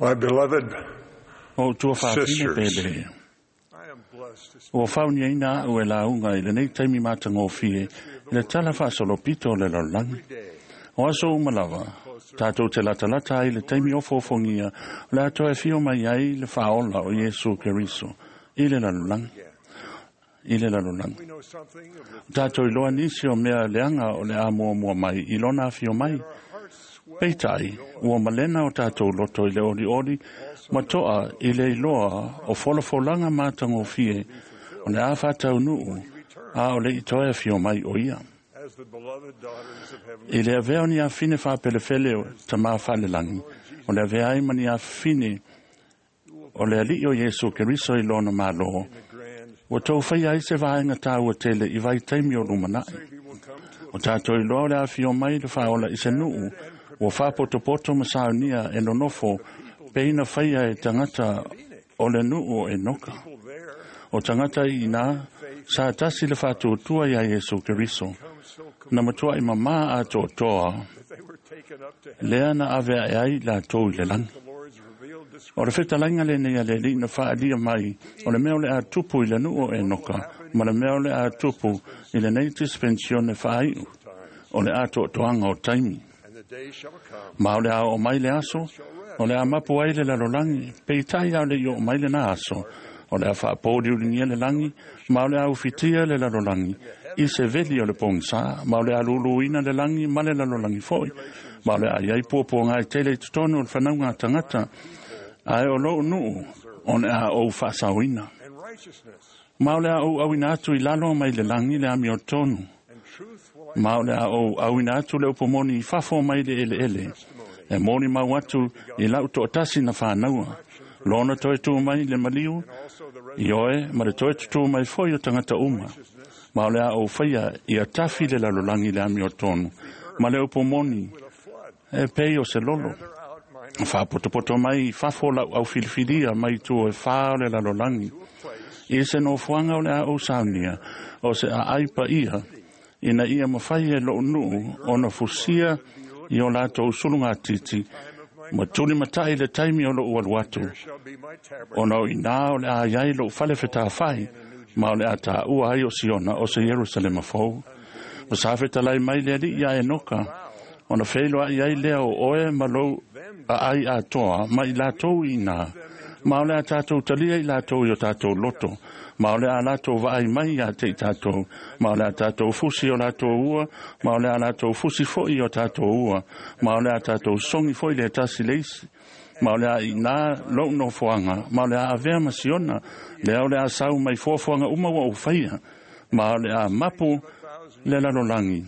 My beloved O tua whāpine sisters, pele. I am blessed to O whauni aina au e launga i le nei taimi mātangōfie i le tala whaasolopito o le lalolagi. O aso umalawa, tātou te latalata ai le taimi o fōfongia o le atoa e fio mai ai le whaola o Iesu Keriso i le lalolagi. I le lalolagi. we know something of the Tātou i loa nisi o mea leanga o le a mua mua mai i lona awhio mai. Peitai, ua malena o tātou loto i le ori ori, ma toa i le iloa o folafolanga mātangofie o le a whātau nuu, a o le itoe awhio mai o ia. as the beloved daughters of heavenly I le avea o ni awhine whāpelewhele o ta mā whalelangi, o le avea ai ma ni awhine o le alii o Iesu Keriso i lona malo, ua tou faia ai se vaega tāua tele i vaitaimi o lumanai. O tātou iloa o le afio mai le faaola i se nuu, ua faapotopoto ma saunia e nonofo, peina faia e tagata o le nuu o Enoka. O tagata i ina, sa tasi le faatuatua ia Iesu Keriso, na matuai mamā atoatoa, lea na ave ae ai latou i le lagi. O le fetalaiga lenei a le alii na faaalia mai, o le mea o le a tupu i le nuu o Enoka, ma le mea o le a tupu i lenei dispensione faaiu, o le atoatoaga o taimi. Ma o le a oo mai le aso, o le a mapu ai le lalolagi, peitai a o le i oo mai lena aso, o le a faapouliuligia le lagi, ma o le a ufitia le lalolagi, i se veli o le pogisa, ma o le a luluina le lagi ma le lalolagi foi, ma o le a iai puapuaga e tele i totonu o le fanauga a tagata, ae o lou nuu, o le a ou faasaoina. Ma o le a ou auina atu i lalo mai le lagi le amiotonu, ma o le a ou auina atu le upomoni i fafo mai le eleele, e moni mau atu i lau toatasi na whānaua, lona toe tū mai le maliu, i oe ma le toe tutū mai foi o tagata uma. Ma o le a ou faia ia tafi le lalolagi le amiotonu, ma le upomoni e pei o se lolo. Whaapotopoto mai i fafo lau au filifilia mai tu e whā o le lalolagi. I se nofoanga o le a ou saunia, o se a aipa ia, ina ia mawhai e loo nuu o na fusia i o lātou sulunga titi, ma tuli matai le taimi o loo alu atu. Ona o inā o le a iai loo whale whetawhai, ma o le a tāua ai o Siona o se Yerusalema fou. Ma sa fetalai mai le alii ia Enoka, ona wheiloa i ai lea o oe ma lou a ai atoa, ma i lātou i nā. Ma o le a tātou talia i lātou i o tātou loto. Ma o le a lātou vaai mai ia te i tātou. Ma o le a tātou fusi o lātou ua. Ma o le a lātou fusi foi o tātou ua. Ma o le a tātou songi foi le tasi leisi. Ma o le a i nā lou nofoanga. Ma o le a avea ma Siona. Lea o le a sau mai fuafuaga uma ua ou faia. Ma o le a mapu le lalolagi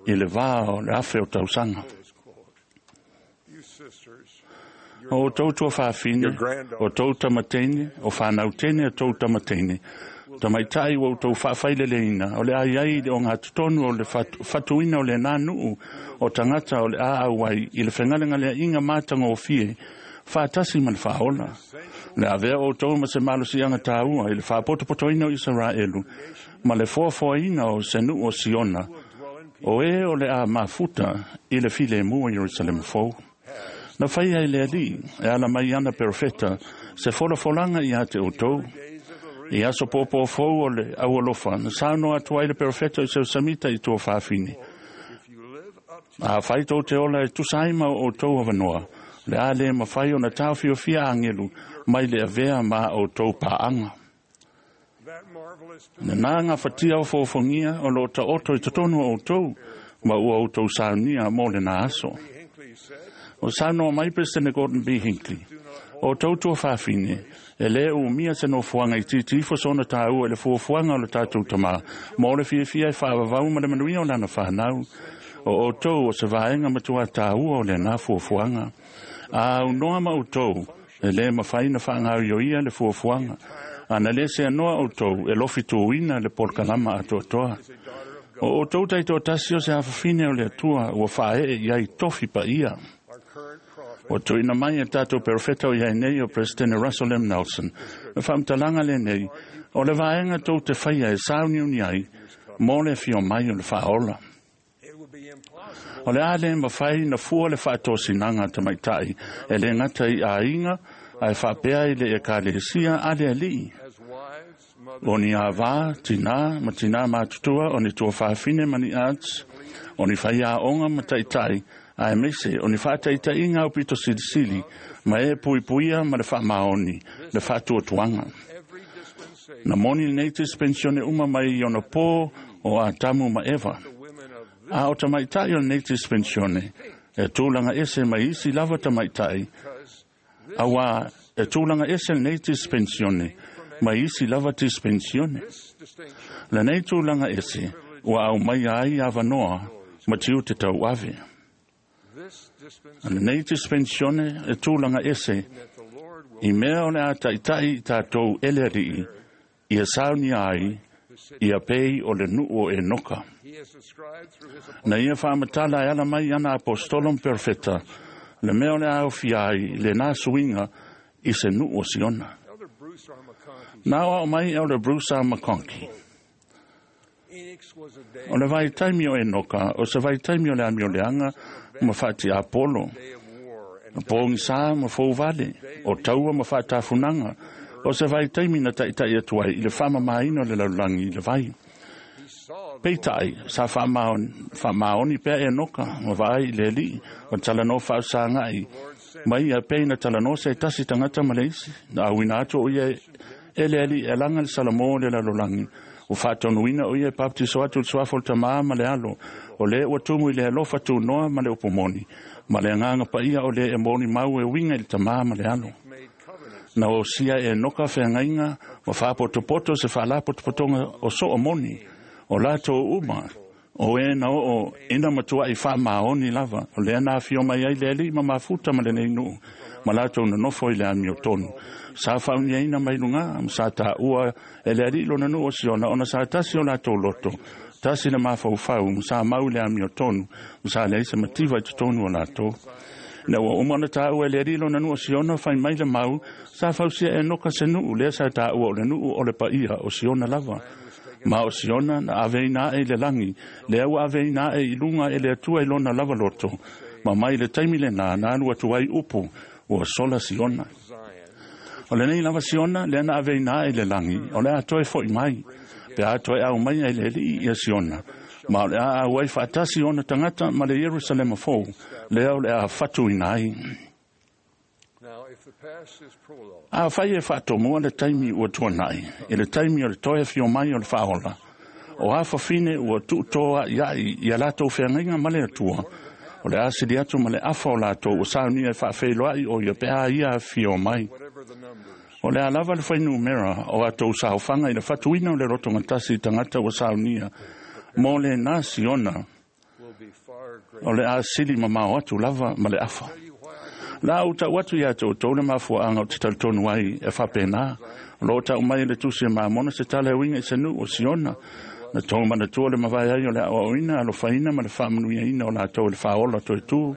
i le vā o le afe o tausaga. O tou tua whaafine, o tou tamatene, o whanau tene o tou tamatene. Tamaitai ua tou whaawhaileleina, o le ai ai le o ngā tutonu o le whatuina o le nānuu o tangata o le a auai i le whengalengalea inga mātanga o fie, whaatasi ma le whaola. Le avea o tou ma se malosianga tāua i le whaapotopotoina o Israelu, ma le foafoaina o se nuu o Siona, o e o le a mafuta i le file mua Yerusalemu fou. Na whaia i le alii, e ala mai ana perofeta, se folafolanga i a te o tou. I aso pōpō fou o le aualofa, na saunoa atu ai le perofeta i seu samita i tua whaafine. A whai tō te ola e tusa ai ma o tou awanoa, le a le mawhai o na tāwhiowhia angelu, mai le avea ma o tou pāanga. Na nā ngā whatia o fōfongia o lo ta oto i totonu o tou, ma ua o tou saunia mō le nā aso. O saunoa mai President Gordon B. Hinckley, o tou tua whaafine, e le umia se nofoanga i titi ifo sona tāua e le fuafuaga o le tātou tamā, mō le fiafia e whaavavau ma le manuia o lana whanau, o o tou o se vaenga matua tāua o le nā fuafuaga. A unoa ma o tou, e le mawhai na whaangau i o ia le fuafuaga, ana le se anoa o tou e lofi tūina le polkalama atoatoa. O o tou taito tasi o se hafafine o le atua ua whae i ai tofi pa ia. O tuina mai e tātou perofeta o iai nei o President Russell M. Nelson. Na whaamtalanga le nei, o le vaenga tou te whaia e sauniuni ai, mō le fio mai o le whaola. O le a le mawhai na fua le whaatosinanga tamaitai, e le ngata i ainga, ai whaapea i le e kalesia a le alii. O ni a vā, tina, ma tina mātutua, o ni tua whaafine mani arts, o ni whaia onga ma taitai, a e mese, o ni whaataitai ngā upito silisili, ma e puipuia ma le whaamaoni, le whaatuatuanga. Na moni nei dispensione uma mai i ona pō o Atamu ma Eva. A o tamaitai o nei dispensione, e tūlanga ese mai isi lava tamaitai, awa e tūlanga ese nei dispensione, mai isi lava dispensione. La nei tūlanga ese, ua au mai ai avanoa, ma tiu te tau ave. La nei dispensione e tūlanga ese, I mea o le a ta'ita'i i tatou e le Ali'i, ia saunia ai, ia pei o le nu'u o Enoka. Na ia faamatala e ala mai ana apostolo ma perofeta, le mea o le a aofia ai lenā suiga i se nu'u o Siona. Na aoao mai Elder Bruce R. McConkie. O le vaitaimi o Enoka, o se vaitaimi o le amioleaga ma faatiapolo, pogisā ma fouvale, o taua ma faatafunaga, o se vaitaimi na ta'ita'i atu ai i le faamamāina o le lalolagi i le vai. Peita'i, sa faamaoni pea Enoka ma vaai i le Ali'i, o talanoa faausaga'i mai ia pei na talanoa se tasi tagata ma le isi. Na auina atu o ia e le Ali'i e laga le salamō o le lalolagi, ua faatonuina o ia e papatiso atu i le suafa o le Tamā ma le Alo, o lē ua tumu i le alofa tunoa ma le upu moni, ma le agaga paia o lē e molimau e uiga i le Tamā ma le Alo. Na osia e Enoka feagaiga ma faapotopoto se faalapotopotoga o so'o moni, o latou uma, o e na oo ina matua'i faamaoni lava, o lea na afio mai ai le Ali'i ma mafuta ma lenei nu'u, ma latou nonofo i le amiotonu. Sa faauniaina mai lugā, ma sa tāua e le Ali'i lona nu'u o Siona, ona sa tasi o latou loto, tasi le mafaufau, ma sa mau i le amiotonu, ma sa leai se mativa i totonu o latou. Na ua uma ona tāua e le Ali'i lona nu'u o Siona, fai mai le mau, sa fausia e Enoka se nu'u, lea sa tāua o le nu'u o le paia o Siona lava. Ma o Siona na aveina a'e i le lagi, lea ua aveina a'e i luga e le Atua i lona lava loto, ma mai le taimi lenā na alu atu ai upu, ua sola Siona. O lenei lava Siona, lea na aveina a'e i le lagi, o le a toe fo'i mai, pe a toe aumaia e le Ali'i ia Siona, ma o le a auai faatasi ona tagata ma le Ierusalema fou, lea o le a fatuina ai. Afai e faatomua le taimi ua tuana'i, i le taimi o le toe afio mai o le Faaola, o a fafine ua tuutoa'ia'i ia latou feagaiga ma le Atua, o le a sili atu ma le afa o latou ua saunia e faafeiloa'i o ia pe a ia afio mai. O le a lava le fuainumera o atou saofaga i le fatuina o le lotogatasi i tagata ua saunia mo lenā Siona, o le a sili mamao atu lava ma le afa. La ou ta'u atu iā te outou le mafua'aga o te talitonu ai e faapenā. O loo ta'u mai e le Tusi e Mamona se tala e uiga i se nu'u o Siona. Na tou manatua le mavae ai o le a'oa'oina alofaina ma le faamanuiaina o latou e le Faaola toetū.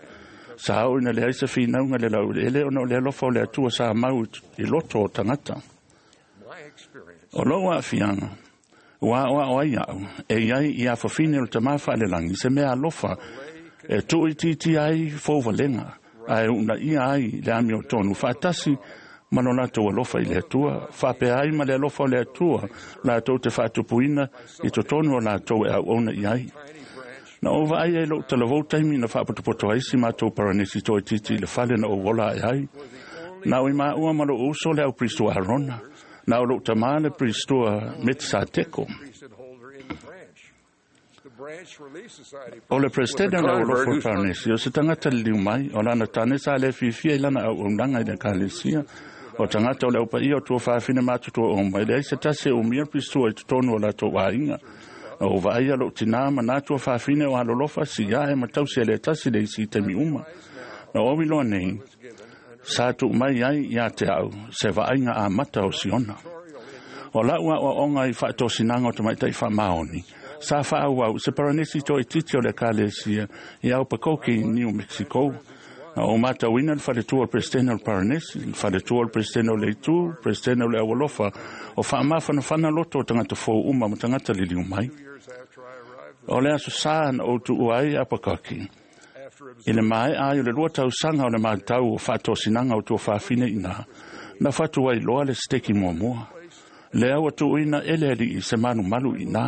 Sa oo ina leai se finauga i le laueleele ona o le alofa o le Atua sa mau i loto o tagata. O lou aafiaga, ua aoao ai a'u, e i ai i afafine o le Tamā faalelagi se mea alofa e tuuitiitia ai fouvalega, ae uunaia ai le amiotonu faatasi ma lo latou alofa i le Atua, faapea ai ma le alofa o le Atua latou te faatupuina i totonu o latou e auauna i ai. Na ou vaai ai lo'u talavou taimi na faapotopoto ai si matou paranesi toaitiiti i le fale na ou ola ae ai. Na o i maua ma lo'u uso le aupiristua Arona. Na o lo'u tamā le piristua Metisateko. O le Peresetene o le Aualofa o le Paranesi, o se tagata liliu mai, o lana tane sa le fiafia i lana auaunaga i le Ekalesia. O tagata o le aupaia o tuafafine matutua uma, e leai se tasi e umia le piristua i totonu o latou aiga. Na ou vaaia lo'u tinā ma nā tuafafine o alolofa, siae ma tausi e le tasi le isi i taimi uma. Na ou iloa nei, sa tuu mai ai iā te a'u se vaaiga amata o Siona. O la'u aoaoga i faatosinaga o tamaitai faamaoni, sa faaauau i se paranesi toaitiiti o le Ekalesia i Albuquerque, New Mexico. Na ou matauina le faletua o le Peresetene o le Paranesi, le faletua o le Peresetene o le Itu, le Peresetene o le Aualofa, o faamafanafana loto o tagata fou uma ma tagata liliu mai. O le aso Sā na ou tuua ai Albuquerque, i le maea ai o le 2 tausaga o le matau o faatosinaga o tuafafine iinā, na fatu ai loa le seteki muamua. Lea ua tuuina e le Ali'i se malumalu iinā.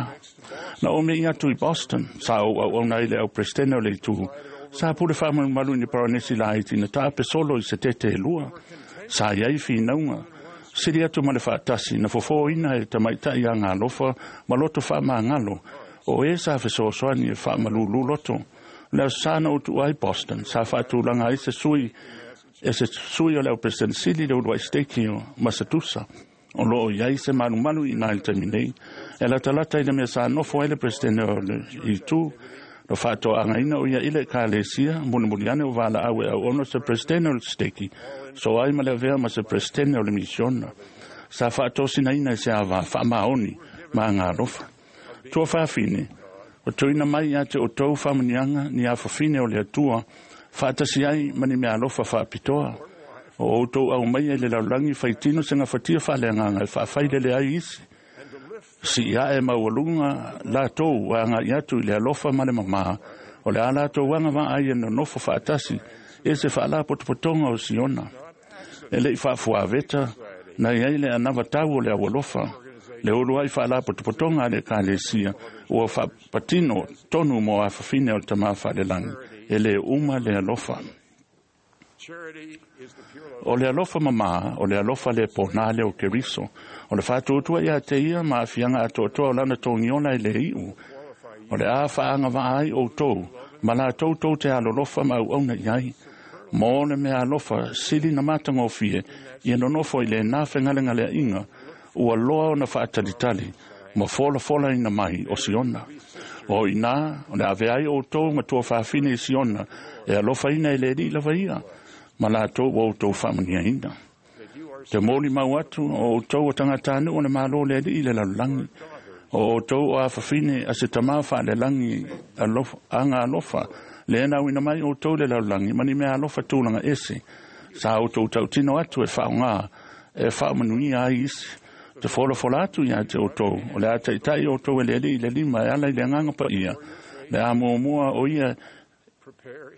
Na ou me'i atu i Boston, sa ou auauna ai i le au Peresetene o le Itu, sa pule faamalumalu i ni paranesi laiti na taape solo i se tete e lua. Sa i ai finauga, sili atu ma le faatasi, na fofōina e tamaitai agalofa ma loto faamagalo, o e sa fesoasoani e faamalūlū loto. O le aso Sa na ou tuua ai Boston, sa faatulaga ai se sui e se sui o le au Peresetene Sili le uluai Seteki o Masatusa. O loo i ai se malumalu iinā i le taimi nei, e latalata i le mea sa nofo ai le Peresetene o le Itu. Na faatoagaina o ia i le Ekalesia, mulimuli ane o valaau e auauna se Peresetene o le Seteki So ai ma le avea ma se presidente o le misiona. Sa whaatosina ina e se awa whaamaoni ma ngā alofa. Tua whaafine, o tuina mai ia te o tau whamanianga ni a whawhine o le atua, whaatasi ai mani mea alofa whaapitoa. O outou au mai e le laulangi whaitino se ngā whatia whaleanganga e whaawhailele ai isi. Si ia e maualunga la tou a ngā iatu i le alofa ma le mamaha, o le a latou anga waa ai e nonofo whaatasi e se whaala potopotonga o Siona. E le i whaafuaveta, na iai le anava tau o le awalofa, le ulu ai whaala potopotonga le kalesia, ua whaapatino tonu mo a whawhine o le tama whaalelangi, e le uma le alofa. O le alofa mama, o le alofa le pōnā le o Keriso, o le whaatuatua ia te ia ma afianga atoatoa o lana tōngiona e le iu, o le a whaanga vaai o tau, ma la tau tau te alolofa ma au auna iai, mo le mea alofa sili na matangofie, ia nonofo i le nā whengalengalea inga, ua loa o na whaatalitali, ma fola fola ina mai o Siona. O ina, o le ave ai o tau ma tua whaafine i Siona, e alofa ina e le ri lava ia, ma la tau o tau whaamania ina. Te mōli mau atu, o tau o tangatanu o le malo le ri i le lalulangi, o tau o a whawhine a se tamā wha le langi alofa, anga alofa, le ena wina mai o tau le lalulangi, mani mea alofa tūlanga ese, sa o tau tau tino atu e whaonga, e whaamanuia ai isi, te fola fola atu ia te o tau, o le a taitai o tau e le li le lima e ala i le nganga pa ia, le a mua o ia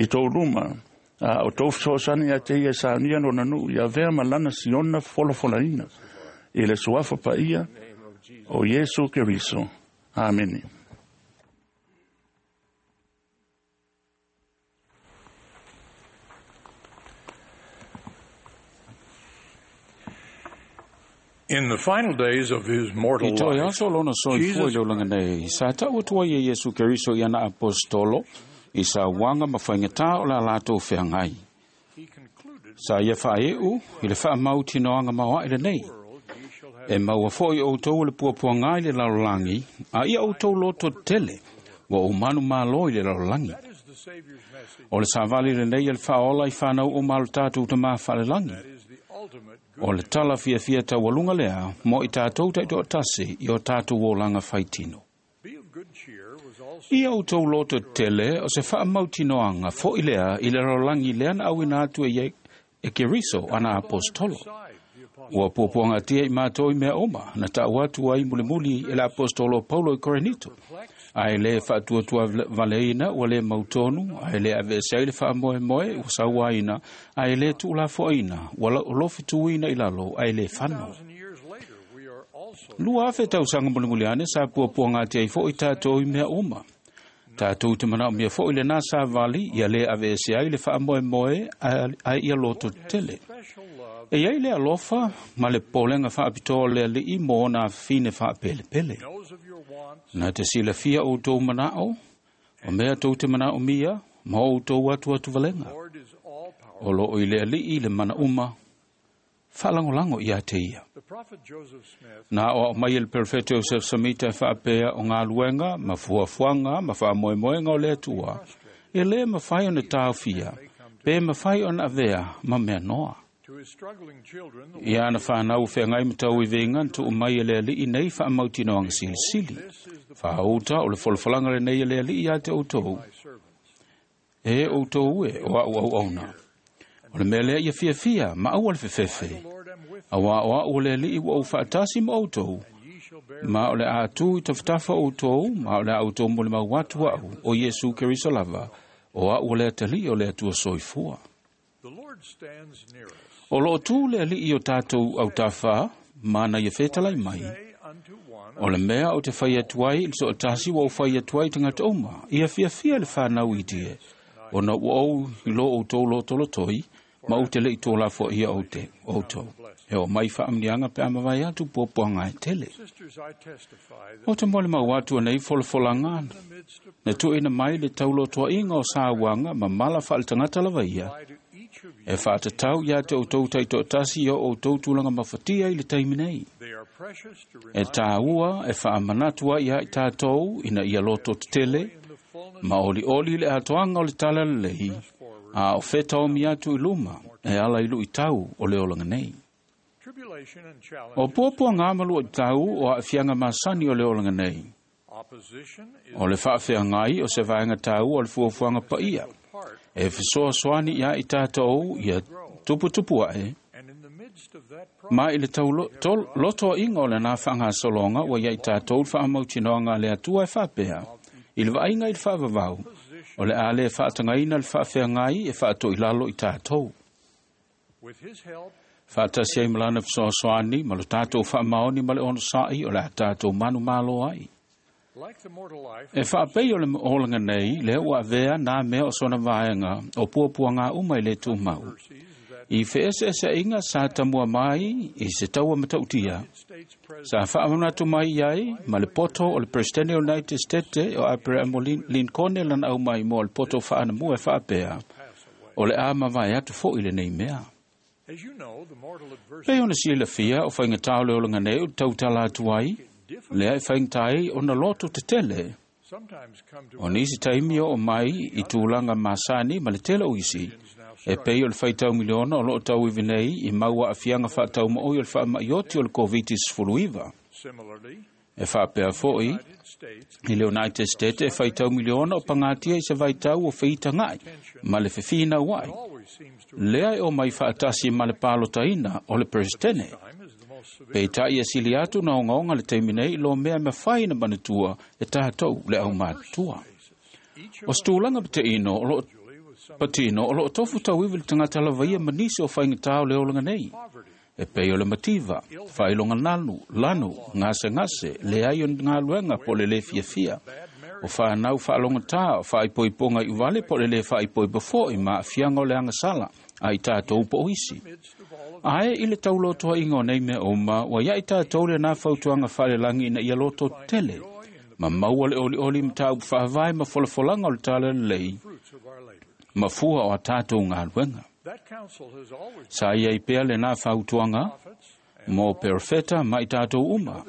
i tau luma, a o tau whasosani ia te ia sa nia no nanu, ia vea malana Siona fola fola ina, i le suafa pa ia, o Yesu Keriso. Amen. In the final days of his mortal I toi life, aso lona soifua i Jesus le olaga nei, sa tau atua ia Iesu Keriso i ana apostolo, i sa uaga ma faigata o le latou feagai. Sa ia faaeu i le faamautinoaga maoaʻi lenei. E maua foʻi outou o le puapuaga i le lalolagi, a ia outou loto tele, ua ou manu mālō i le lalolagi. O le savali lenei e le faaola i fanau o malo tatou tamā faalelagi. O le tala fiafia taualuga lea mo i tatou taitoatasi i o tatou olaga faitino. Ia outou loto tele o se faamautinoaga foʻi lea i le lalolagi lea na auina atu e e Keriso ana apostolo. Ua puapuagatia i matou i mea uma na taʻu atu ai mulimuli e le apostolo Paulo i Korinito. Ae lē faatuatua valeina ua lē mautonu, ae lē aveese ai le faamoemoe ua sauaina, ae lē tuulafoaina ua lofituina i lalo ae lē fano. 2000 tausaga mulimuli ane sa puapuagatia ai foʻi tatou i mea uma. Tatou te manaomia foʻi lenā savali ia lē aveese ai le faamoemoe ae ia loto tele. E iai le alofa ma le polega faapitoa le alii mo ona afafine faapelepele. Na te silafia outou manaʻo, o mea tou te manaʻomia, ma outou atu atu valega. O loo i le alii le mana uma, faalagolago ia te ia. Na o ao mai e le Perfeto Joseph Samita e faapea o galuega ma fuafuaga ma faamoemoega o le Atua, e lē mafai ona taofia, pe mafai ona avea ma mea noa. Ia ana whanau whengai matau i venga na tuu mai e le alii nei whaamautinoaga silisili. Whaauta o le folafolaga lenei e le alii ia te outou. E outou e o au au auna. O le mea lea ia fiafia ma aua le fefefe. A wā o au o le alii ua ou whaatasi ma outou. Ma o le atu i tafatafa outou, ma o le a outou mo le mau atu au o Iesu Keriso lava, o au o le atalii o le Atua soifua. O loo tū le alii o tātou au tawha, mana ia whetalai mai. O le mea o te whai atu ai, le so tasi wa o whai atu ai tangata uma, ia fiafia le whanau i die. O na ua ou i lo o tō lo tolo toi, ma o te lei tō la fo ia o te o tō. E o mai whaamnianga pe amawai atu puapuanga e tele. O te mole mau atu nei folafolanga, na tuina mai le taulotoa inga o sāuanga ma mala whaale tangata lava ia. E whaatatau ia te o tau taitoatasi ia o tau tūlanga mafatia i le taimi nei. E tāua e whaamanatua ia i tātou ina ia loto te tele, ma oli oli le atoanga o le tala lelei, a o whetao mi atu i luma, e ala i luʻitau o le olaga nei. O puapuagā ma luaʻitau o aafiaga masani o le olaga nei. O le faafeagai o se vaega taua o le fuafuaga paia e fesoasoani iā i tatou ia tuputupu aʻe ma i le taulotoaʻiga o lenā faagasologa ua ia i tatou le faamautinoaga a le Atua e faapea i le vaaiga i le faavavau o le a lē faatagaina le faafeagai e faatoʻilalo i tatou. Faatasi ai ma lana fesoasoani ma lo tatou faamaoni ma le onosaʻi o le a tatou manumalo ai. E faapei o le olaga nei lea ua avea nā mea o sona vaega o puapuagā uma i le tumau. I feeseeseaiga sa tamua mai i se taua matautia, sa faamanatu mai ai ma le poto o le Peresetene o United States o Aperahamo Lincoln lana au mai mo le poto faanamua e faapea, o le a mavae atu foʻi lenei mea. Pei ona silafia o faigatā o le olaga nei o tautala atu ai, lea e faigata ai ona loto tetele. O nisi taimi o mai i tulaga masani ma le tele o isi, e pei o le faitau miliona o loo tauivi nei i mau aafiaga faataumaoi o le faamaʻioti o le COVID-19. E faapea foʻi i le United States e faitau miliona o pagatia i se vaitau o feitagaʻi ma le fefinau ai, lea e o mai faatasi ma le palotaina o le Peresetene. Peitaʻi e sili atu na ogaoga le taimi nei lo mea mafai na manatua e tatou le aumatutua. O se tulaga pateino o loo patino o loo tofu tauivi le tagata lavaia ma nisi o faigatā o le olaga nei. E pei o le mativa, faailoga lanu, gasegase, leai o galuega po o le lē fiafia, o fanau faalogatā o faaipoipoga i uvale po o le lē faaipoipo foʻi ma aafiaga o le agasala a i tatou po o isi. Ae i le taulotoaʻiga o nei mea uma, ua iaʻi tatou lenā fautuaga faalelagi ina ia loto tele, ma maua le olioli ma tāupu faavae ma folafolaga o le tala lelei, ma fua o a tatou galuega. Sa iai pea lenā fautuaga mo perofeta ma i tatou uma.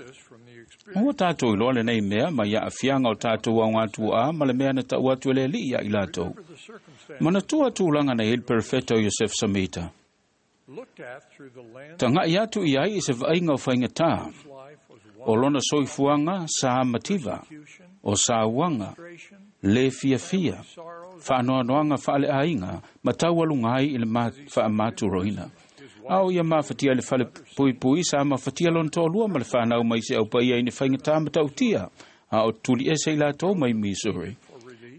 Ua tatou iloa lenei mea mai aafiaga o tatou aogatuaʻā ma le mea na taʻu atu e le Alii ia i latou. Manatua tulaga na iai le perofeta o Iosefa Samita. Tagaʻi atu i ai i se vaaiga o faigatā, o lona soifuaga sa mativa, o sauaga, lē fiafia, faanoanoaga faaleaiga ma taualuga ai i le faamaturoina. A o ia mafatia i le fale puipui sa mafatia lona toalua ma le fanau mai se aupaia i ni faigatā matautia, a o tuliese i latou mai Missouri.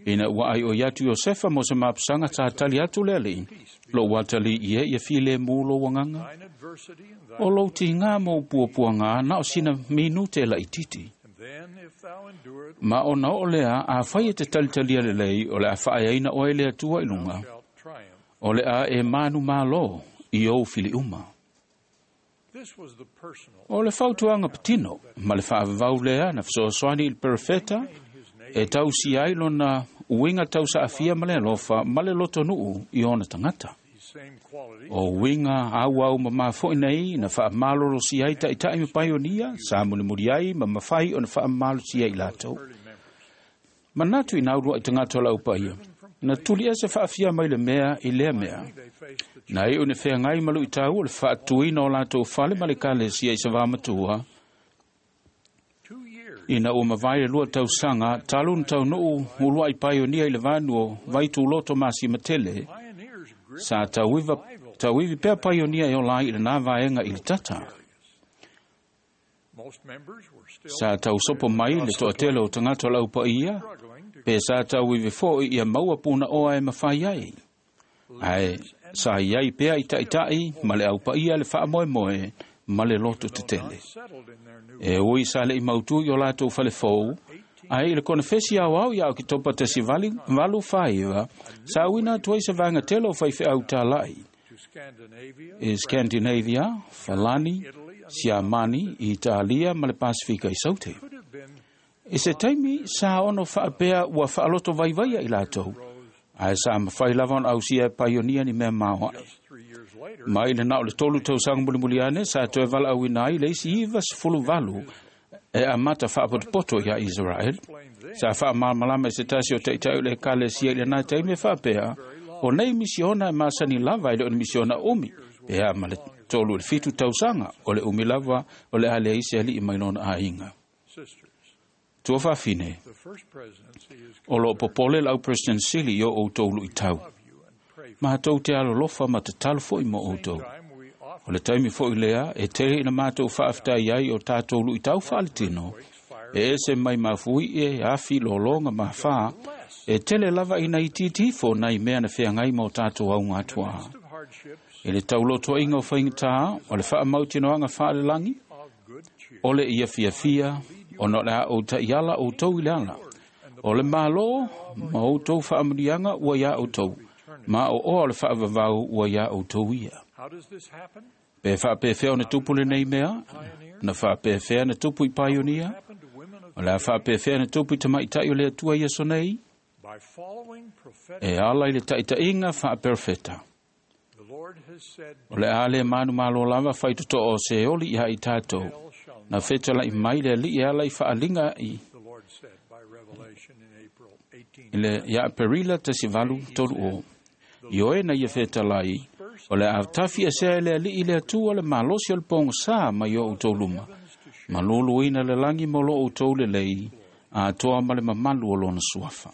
Ina ua ai o atu Iosefa mo se mapusaga tatali atu le Alii, lou atalii e ia filemu lou agaga. O lou tigā mo puapuagā na o sina minute laʻititi. Ma ona oo lea afai e te talitalia lelei o le a faaeaina oe le Atua i luga, o le a e manumālō i ou filiuma. O le fautuaga patino ma le faavavau lea na fesoasoani i le perofeta e tausia ai lona uiga tausaafia ma le alofa ma le lotonuu i ona tagata. O uiga auau mamā foʻi nei na faamalolosi ai taʻitaʻi ma paionia sa mulimuli ai ma mafai ona faamalosia i latou. Manatu i na uluaʻi tagata o lau paia, na tuli ese faafia mai le mea i lea mea. Na iu ne feagai ma luʻitau o le faatuina o latou fale ma le kalesia i sa vamatua, ina ua mavae le lua tausaga talu na taunuu uluaʻi paionia i le vanu o Vaituloto Masimatele, sa tauivi pea paionia e ola ai i lenā vaega i le tata. Sa tausopo mai le toatele o tagata o lau paia, pe sa tauivi foʻi ia maua punaoa e mafai ai. Ae sa iai pea i taʻitaʻi ma le aupaia le faamoemoe ma le loto tetele. E ui sa leʻi mautū i o latou falefou, ae i le konefesi aoao ia Oketopa 1849, sa uina atu ai se vaega tele o faifeau talaʻi i Scandinavia, Falani, Siamani, Italia ma le Pasifika i Saute. I se taimi sa ono faapea ua faaloto vaivaia i latou, ae sa mafai lava ona ausia e paionia ni mea maoaʻe. Mai le na o le 3 tausaga mulimuli ane sa toe valaauina ai le isi 98 e amata faapotopoto iā Israel. Sa faamalamalama e se tasi o taʻitaʻi o le ekalesia i lenā taimi e faapea, O nei misiona e masani lava i le o ni misiona umi, pe a ma le 37 tausaga, o le umi lava o le a leai se ali'i mai lona aiga. Tua faafine, o loo popole le au President Sili i o outou lu'itau. Matou te alolofa ma tatalo fo'i mo outou. O le taimi fo'i lea e tele ina matou faafetai ai o tatou lu'itau faaletino, e ese mai mafui'i e afi lologa ma fā, e tele lava ina itiiti ifo nai mea na feagai ma o tatou auga atuā. I le taulotoa'iga o faigatā, o le faamautinoaga faalelagi, o le ia fiafia, ona o le a ou ta'iala outou i le ala. O le mālō ma outou faamanuiaga ua iā outou, ma o oa o le faavavau ua iā outou ia. Pe faapefea ona tupu lenei mea, na faapefea na tupu i paionia, o le a faapefea na tupu i tamaita'i o le Atua i aso nei, e ala i le ta'ita'iga faaperofeta. O le a le manumalo lava faitoto'o o Seoli iā i tatou, na fetala'i mai le ali'i e ala i fa'aliga i le ia Aperila 1830. I oe na ia fetalai, o le a tafi esea e le ali'i le Atua le malosi o le pogosā mai o outou luma, ma luluina le lagi mo lo outou lelei, atoa ma le mamalu o lona suafa.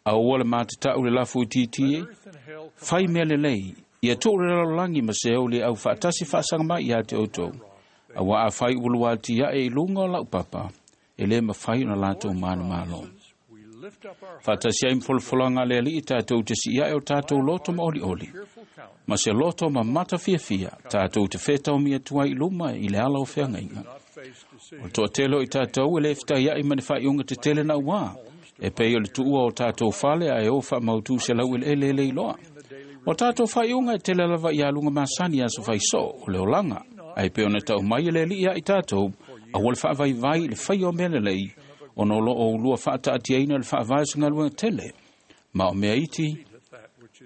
Aua le matata'u le lafu itiiti e, fai mea lelei, ia tu'u le lalolagi ma Seoli au fa'atasi fa'asaga mai iā te outou. Auā afai ua luāti a'e i luga o la'u papa, e lē mafai ona latou manumalo. Fa'atasi ai ma folafolaga a le ali'i tatou te si'ia'e o tatou loto ma oli'oli. Ma se loto ma mata fiafia, tatou te fetaomi atu ai i luma i le ala o feagaiga. O le to'atele o i tatou e lē fetaia'i ma ni faaiuga tetele nauā, e pei o le tuua o tatou fale ae o faamautū se laueleele e le iloa. O tatou faaiuga e tele lava i aluga masani aso faisoo o le olaga, ae pei ona ta'u mai e le ali'i ia i tatou, aua le faavaivai i le faia o mea lelei, ona o loo ulua faataatiaina le faavae o se galuega tele, ma o mea iti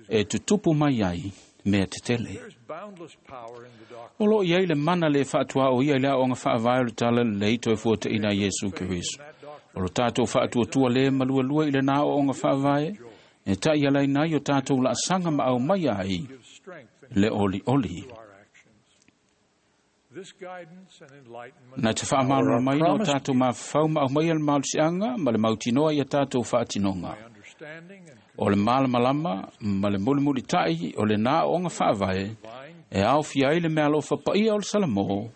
e tutupu mai ai mea tetele. O loo i ai le mana le faatuā o ia i le aoga faavae o le tala lelei toe fuataʻina Iesu Keriso. O lo tatou faatuatua lē malualua i lenā aoaoga faavae, e taʻialaina ai o tatou laasaga ma aumaia ai le olioli. Na te faamalamalamaina o tatou mafafau ma aumaia le malosiaga ma le mautinoa ia tatou faatinoga. O le malamalama ma le mulimulita'i o lenā aoaoga faavae, e aofia ai le meaalofa paia o le Salamō,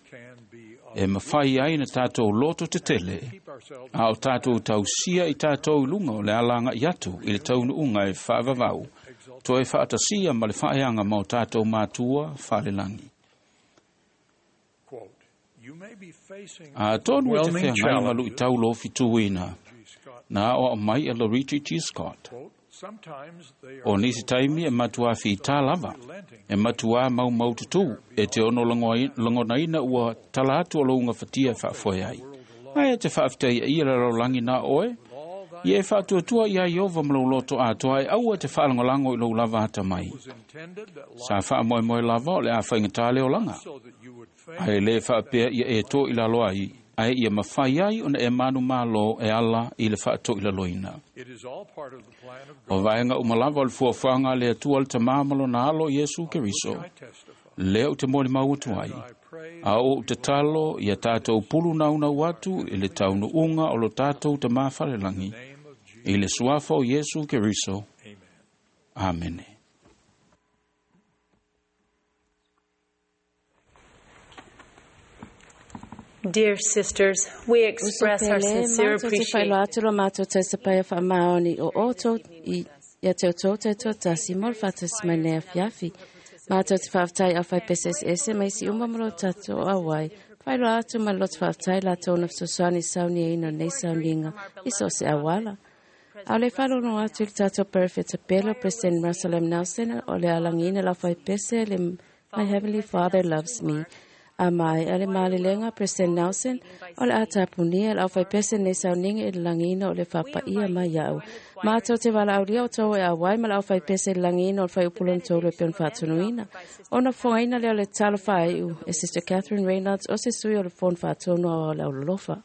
e mafai ai na tatou loto tetele, a o tatou tausia i tatou i luga o le alaga'i atu i le taunuuga e faavavau, toe faatasia ma le faaeaga ma o tatou matua faalelagi. Atonu e te feagai ma lu'itau lofituina, na aoao mai e Loretta G. Scott. O nisi taimi e matuā fitā lava, e matuā maumau tutū, e te ono lagonaina ua tala atu o louga fatia e faafoe ai. Ae te faafetaia ia le lalolagi na oe, ia e faatuatua iā Iova ma lou loto atoa e aua te faalagolago i lou lava atamai. Sa faamoemoe lava o le a faigatā le olaga. Ae lē faapea ia e toʻilalo ai, ae ia mafai ai ona e manumalo e ala i le faatoʻilaloina. O vaega uma lava o le fuafuaga a le Atua le Tamā ma lona Alo Iesu Keriso, lea ou te molimau atu ai. A o ou tatalo ia tatou pulu naunau atu i le taunuuga o lo tatou Tamā falelagi, i le suafa o Iesu Keriso. Amene. Dear sisters, we express our Uso pele, sincere matou te faailoa appreciation atu lo matou tausapaia faamaoni o outou i ia te outou taitoatasi mo le faatasi mai nei afiafi. Matou te faafetai au faipese eseese mai si uma ma lo tatou auai. Faailoa atu ma le loto faafetai latou na fesoasoani sauniaina o nei sauniga i so o se auala. A o le faalogo atu i le tatou perofeta pele o President Russell M. Nelson o le alagiina lau faipese le My Heavenly Father Loves Me. A mai a le malelega President Nelson o le a tapunia le au faipese nei sauniga i le lagiina o le faapaia mai ia'u. Matou te valaaulia outou e auai ma le au faipese i le lagiina o le fuaiupu tolu e pei ona faatonuina. Ona fofogaina lea o le talo faaiu e Sister Catherine Reynolds o se sui o le Fono Faatonu Aoao o le Aulolofa.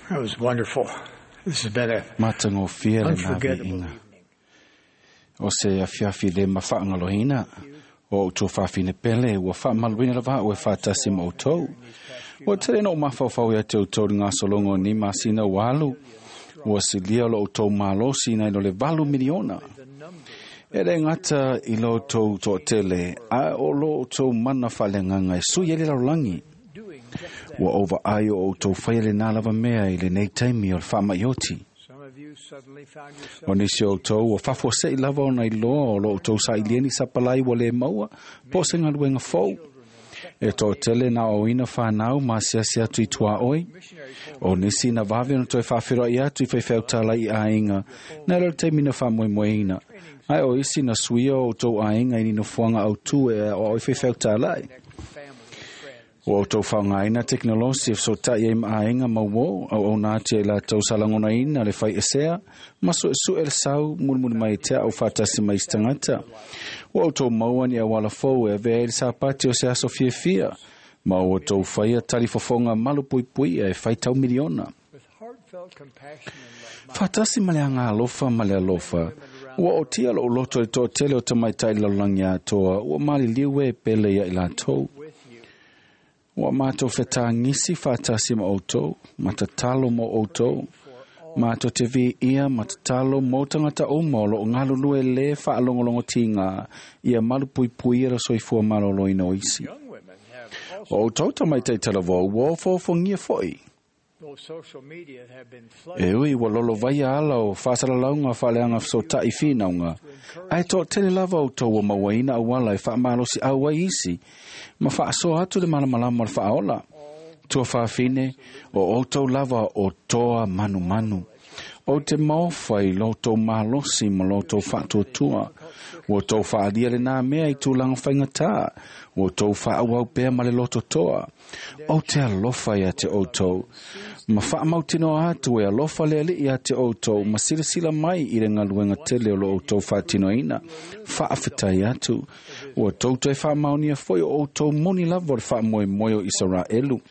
That was wonderful. This has been a Matagofie lena unforgettable viiga. O se afiafi le mafaagalohina o outou fafine pele ua faamaluina lava a'u e faatasi ma outou. Ua tele na ou mafaufau ia te outou i gasologa o ni masina ua alu. Ua silia o lo outou malosi nai lo le 8 miliona. E le gata i lo outou toatele, a o lo outou mana faaleagaga e sui ai le lalolagi. Ua ou vaai o outou faia lenā lava mea i lenei taimi o le faamaioti. O nisi o outou ua faafuase'i lava ona iloa o lo outou sailieni sapalai ua lē maua po o se galuega fou. E toatele na aoaoina fanau ma asiasi atu i tuaʻoi. O nisi na vave ona toe faafeloaʻi atu i faifeau talai i aiga na le o le taimi na faamoemoeina. Ae o isi na suia o outou aiga i ni nofoaga autū e aoao i faifeau talai. Ua outou faaaogaina tekenolosi e fesotaʻi ai ma aiga ma uō auauna atu ai latou salagonaina le faiesea ma suʻesuʻe le sau mulimuli mai te aʻu faatasi mai isi tagata. Ua outou maua ni auala fou e avea ai le sapati o se aso fiafia ma ua outou faia talifofoga malupuipuia e faitau miliona. Faatasi ma le agalofa ma le alofa, ua otia loʻu loto i le toatele o tamaitai lalolagi atoa ua maliliu e pele ia i latou. Ua matou fetagisi faatasi ma outou, ma tatalo mo outou, Mātou te vi ia ma tatalo mō tangata uma o loo ngalulue le whaalongolongotinga ia malupuipui ia soifua maloloina o isi. O tauta mai te talavou o fōfongia foi. E ui ua lolo vaia ala o whāsalalaunga whaleanga whasotai whinaunga. Ai tō tele lava o tō mauaina awala e whaamalosi au ai isi. Ma whaasoa atu le malamalama o le whaaola. Tua whaafine o outou lava o toa manumanu. O te maofa i loto malosi ma loto whaatuatua. Ua tau whaalia le nā mea i tūlanga whaingatā. Ua tau whaawau pea ma le loto toa. O te alofa ia te outou. Ma whaamautino atu e alofa le ali ia te outou. Ma silasila mai i le ngaluenga tele o lo outou whaatinoina. Whaawhitai atu. Ua tautou e whaamaunia foi o outou moni lava o le whaamoemoe o Israelu.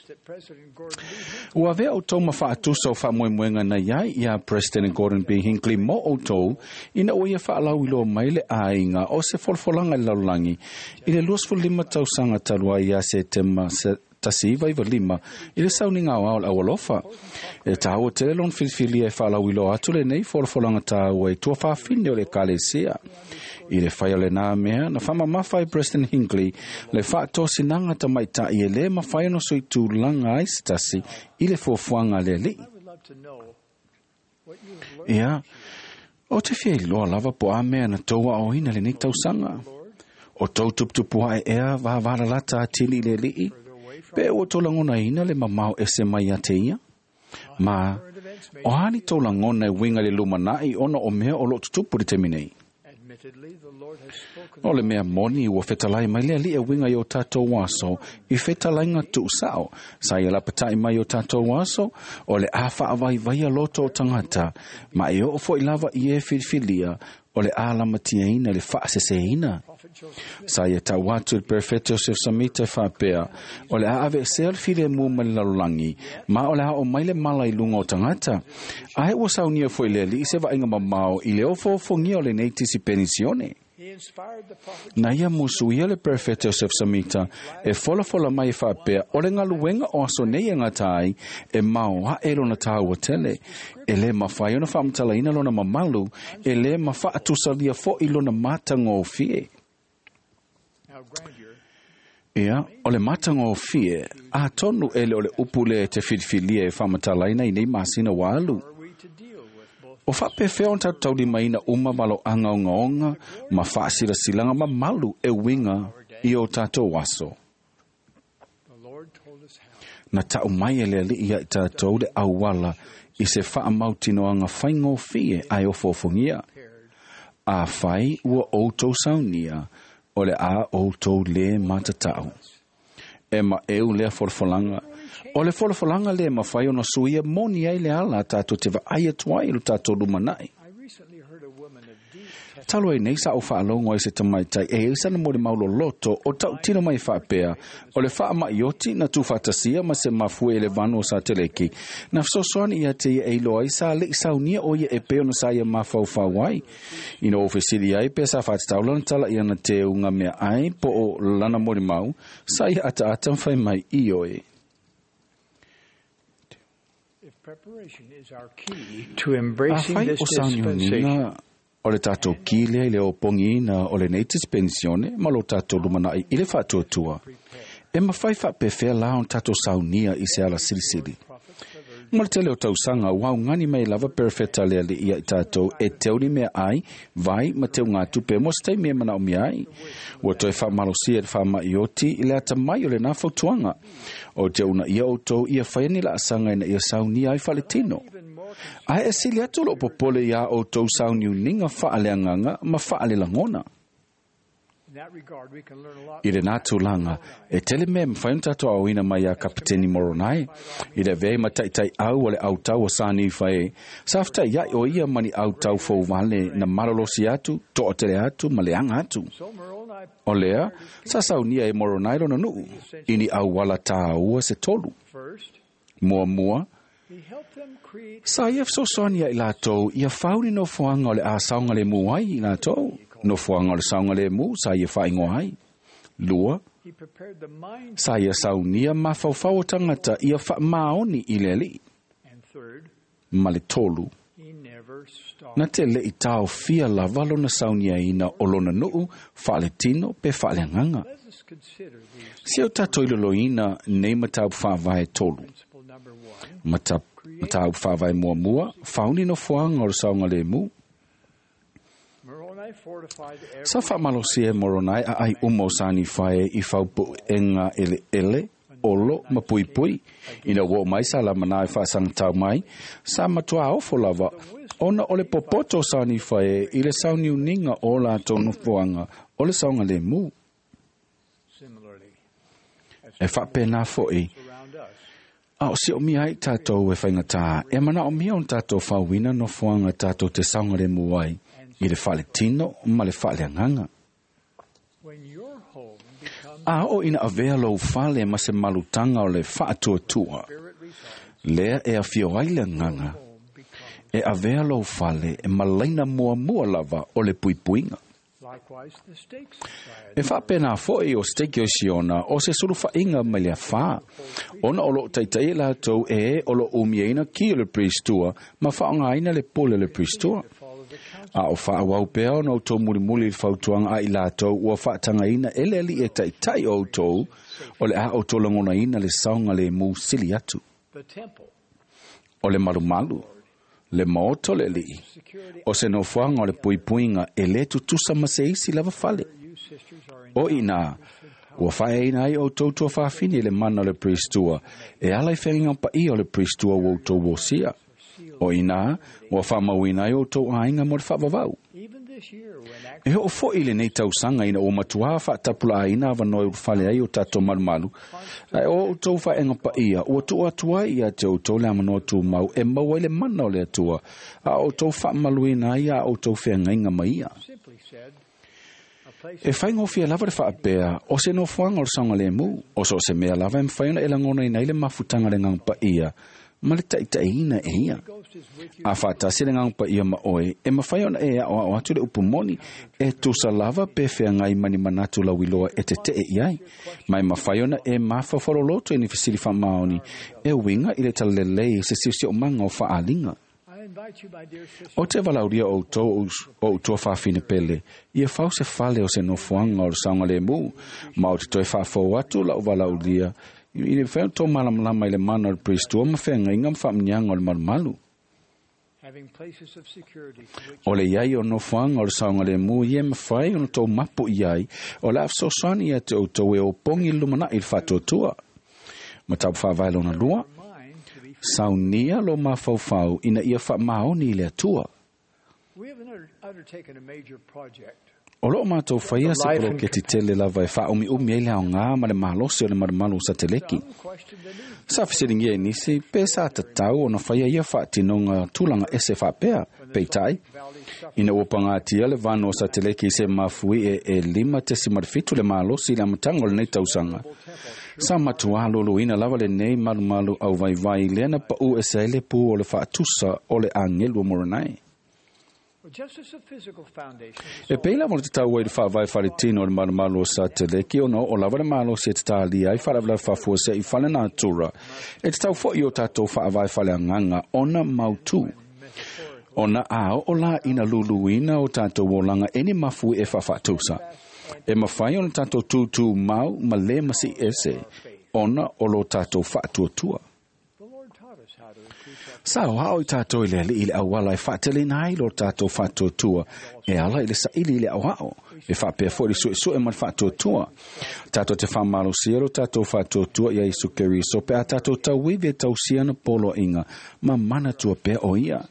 Ua vea outou ma whaatusa o whaamoemoenga na iai ia President Gordon B. Hinckley mo outou ina o ia whaalau ilo mai le āinga o se folafolanga i lalolagi i le 25 tausaga talu ai ia Setema 1995 i le sauniga aoao le aualofa. E tāua tele lona filifilia e whaalau ilo atu lenei folafolanga tāua i tuafafine o le ekalesia. I le whai o le nā mea, na whamamafa i President Hinckley le whaatosinaga tamaitai e lē mafai ona soitulaga ai se tasi i le fuafuaga a le alii. Ia, o te fia iloa lava po a mea na tou aoina lenei tausaga. O tou tuputupu ae ea vavalalata atili i le alii, pe ua tou lagonaina le mamao ese mai ia te ia. Ma, o a ni tou lagona e uiga i le lumanai ona o mea o loo tutupu i le taimi nei. O le mea moni ua fetalai mai le alii e uiga i o tatou aso i fetalaiga tuusao. Sa ia lapatai mai o tatou aso o le a faavaivaia loto o tagata ma e oo foi lava i e filifilia o le a lamatiaina le faaseseina. Sa ia tau atu le Perfete Joseph Samita e faapea o le a aveesea le filemu mai le lalolagi ma o le a oo mai le mala i luga o tagata. Ae ua saunia foi le alii se vaaiga mamao i le ofoofogia o lenei tisi penisione. Na ia musuia le Perfete Joseph Samita e folafola mai e faapea o le galuega o aso nei e gata ai e mao ae lona tāua tele. E lē mafai ona faamatalaina lona mamalu, e lē mafaatusalia foʻi lona matagofie. Ia, o le matagofie, atonu e le o le upu lea e te filifilia e faamatalaina i nei masina ua alu. O faapefea ona tatou taulimaina uma maloaga ogaoga ma faasilasilaga mamalu e uiga i o tatou aso. Na tau mai e le alii ia i tatou le auala i se faamautinoaga faigofie ae ofoofogia. Afai ua outou saunia, o le a outou lē matatau. E maʻeu lea folafolaga. O le folafolaga lē mafai ona suia moni ai le ala tatou te vaai atu ai i lo tatou lumanai. Talu ai nei sa ou faalogo ai se tamaitai e ai sana molimau loloto o tautino mai faapea o le faamaʻioti na tuufaatasia ma se mafue e le vanu o Sateleki na fesoasoani ia te ia e iloa ai sa leʻi saunia o ia e pei ona sa ia mafaufau ai. Ina ua fesili ai pe sa faatatau lana tala ia na teuga mea ai po o lana molimau sa ia ataata ma fai mai ioe. Afai o sauniuniga o le tatou ki lea i le opogiina o lenei dispensione ma lo tatou lumanai i le faatuatua, e mafai faapefea la ona tatou saunia i se ala silisili. Ma le tele o tausaga ua augani mai lava perefeta le alii ia i tatou e teu ni mea ai, vai ma teugatupe mo se taimi e manaomia ai. Ua toe faamalosia e le faamaʻioti i le atamai o lenā fautuaga. O te uunaia outou ia faia ni laasaga ina ia saunia ai faaletino. Ae e sili atu loo popole iā outou sauniuniga faaleagaga ma faalelagona. I lenā tulaga, e tele mea e mafai ona tatou aoina mai iā Kapiteni Moronai. I le avea ai ma taʻitaʻiau o le autau o sa Nifa e, sa fetaʻiaʻi o ia ma ni autau fou vale na malolosi atu, toʻatele atu ma leaga atu. O lea, sa saunia e Moronai lona nuu, i ni auala tāua se tolu. Muamua, sa ia fesoasoani ia i latou ia fau ni nofoaga o le a saogalemu ai i latou. Nofoaga o le saogalemu sa ia faaigoa ai. Lua, sa ia saunia mafaufau o tagata ia faamaoni i le alii. ma le 3. Na te le i taofia lava lona sauniaina o lona nuu faaletino pe faaleagaga. Se o tātou iloloina nei mataupu faavae 3. Mataupu faavae muamua, fauni nofoaga o le saogalemu. Sa faamalosia e Moronai a ai uma o Sanifae i faupuʻega eleele, olo ma puipui. Ina ua oo mai sa lamanā e faasagatau mai, sa matuā ofo lava, ona o le popoto o Sanifae i le sauniuniga o latou nofoaga o le saogalemu. E faapena foʻi, a o siomia ai tātou e faigata, e manaomia ona tātou fauina nofoaga tātou te saogalemu ai, i le faaletino ma le faaleagaga. A o ina avea lou fale ma se malutaga o le faatuatua, lea e afio ai le agaga, e avea lou fale e malaina muamua lava o le puipuiga. E faapena foʻi o Stake o Siona o se sulufaʻiga mai le afā, ona o loo taitaʻi latou e o loo umiaina ki o le priestua ma faaaogāina le pule o le priestua. A o faauau pea ona outou mulimuli i le fautuaga a i latou ua faatagaina e le alii e taʻitaʻi o outou, o le a outou lagonaina le saogalemu sili atu. O le malumalu, le maoto le alii, o se nofoaga o le puipuiga e lē tutusa ma se isi lava fale. O inā, ua faeaina ai outou tuafafine i le mana o le priestua, e ala i feagaiga paia o le priestua ua outou osia. O inā, ua faamauina ai outou aiga mo le faavavau. E oo foʻi lenei tausaga ina ua matuā faatapulaaina avanoa e ulufale ai o tatou malumalu, ae o outou faeaga paia ua tuu atu ai ia te outou le amanoa tumau e maua ai le mana o le Atua, a outou faamaluina ai a outou feagaiga ma ia. E faigofie lava le faapea o se nofoaga o le saogalemu, o so o se mea lava e mafai ona e lagonaina ai le mafutaga le agaga paia ma le taʻitaʻiina e ia. A faatasi le agaga paia ma oe, e mafai ona e aʻoaʻo atu le upu moni, e tusa lava pe feagai ma ni manatu lauiloa e teteʻe i ai, ma e mafai ona e mafaufaloloto i ni fesili faamaoni e uiga i le talalelei se siosiomaga o faaaliga. O te valaulia o outou o outou fafine pele, ia fau se fale o se nofoaga o le saogalemu, ma o te toe faafou atu lau valaulia, i le mafai ona tou malamalama i le mana o le priestua ma feagaiga ma faamanuiaga o le malumalu. O le iai o nofoaga o le saogalemu ia e mafai ona tou mapu i ai, o le a fesoasoani ia te outou e opogi le lumanai i le faatuatua. Mataupu faavae lona 2, saunia lo mafaufau ina ia faamaoni i le Atua. O loo mātou faia se poloketi tele lava e faaumiumi ai le aogā ma le malosi o le malumalu o sateleki. Sa fesiligia e nisi pe sa tatau ona faia ia faatinoga tulaga ese faapea, peitai. Ina ua pagatia le vano o sateleki i se mafui e 5.7 le malosi i le amataga o lenei tausaga. Sa matuā luluina lava lenei malumalu au vaivai lea na paʻu ese ai le pu o le faatusa o le agelu o Moronai. E pei lava o le tatau ai le faavae faletino o le malumalu o sateleki ona oo lava le malosi e tatalia ai faalavelave faafuasei i fale natura, e tatau foʻi o tatou faavae faleagaga ona mautū. Ona a oo la ina luluina o tatou olaga e ni mafui e faafaatusa. E mafai ona tatou tūtū mau ma lē masiʻi ese, ona o lo tatou faatuatua. Sa oaʻo i tātou i le alii le auala e faateleina ai lo tatou faatuatua, e ala i le saili i le aoao, e faapea foʻi le suesue ma le faatuatua. Tatou te faamalosia lo tatou faatuatua ia Iesu Keriso pe a tatou tauivi e tausia na poloaiga ma manatua pea o ia.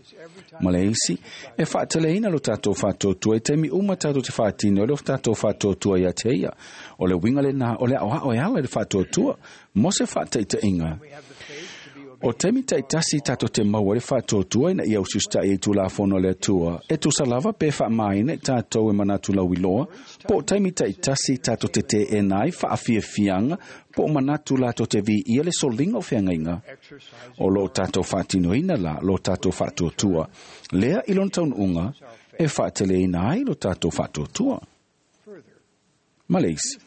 Ma le isi, e faateleina lo tatou faatuatua i taimi uma tatou te faatino i le tatou faatuatua ia te ia. O le uiga lenā o le aoao e ala i le faatuatua, mo se faataʻitaʻiga. O taimi taʻitasi tatou te maua ai le faatuatua ina ia usiusitaʻi ai tulafono a le Atua, e tusa lava pe faamaina i tatou e manatu lauiloa, po o taimi taʻitasi tatou te teena ai faafiafiaga po o manatu latou te viia le soliga o feagaiga. O loo tatou faatinoina la lo tatou faatuatua, lea i lona taunuuga e faateleina ai lo tatou faatuatua. Ma le isi,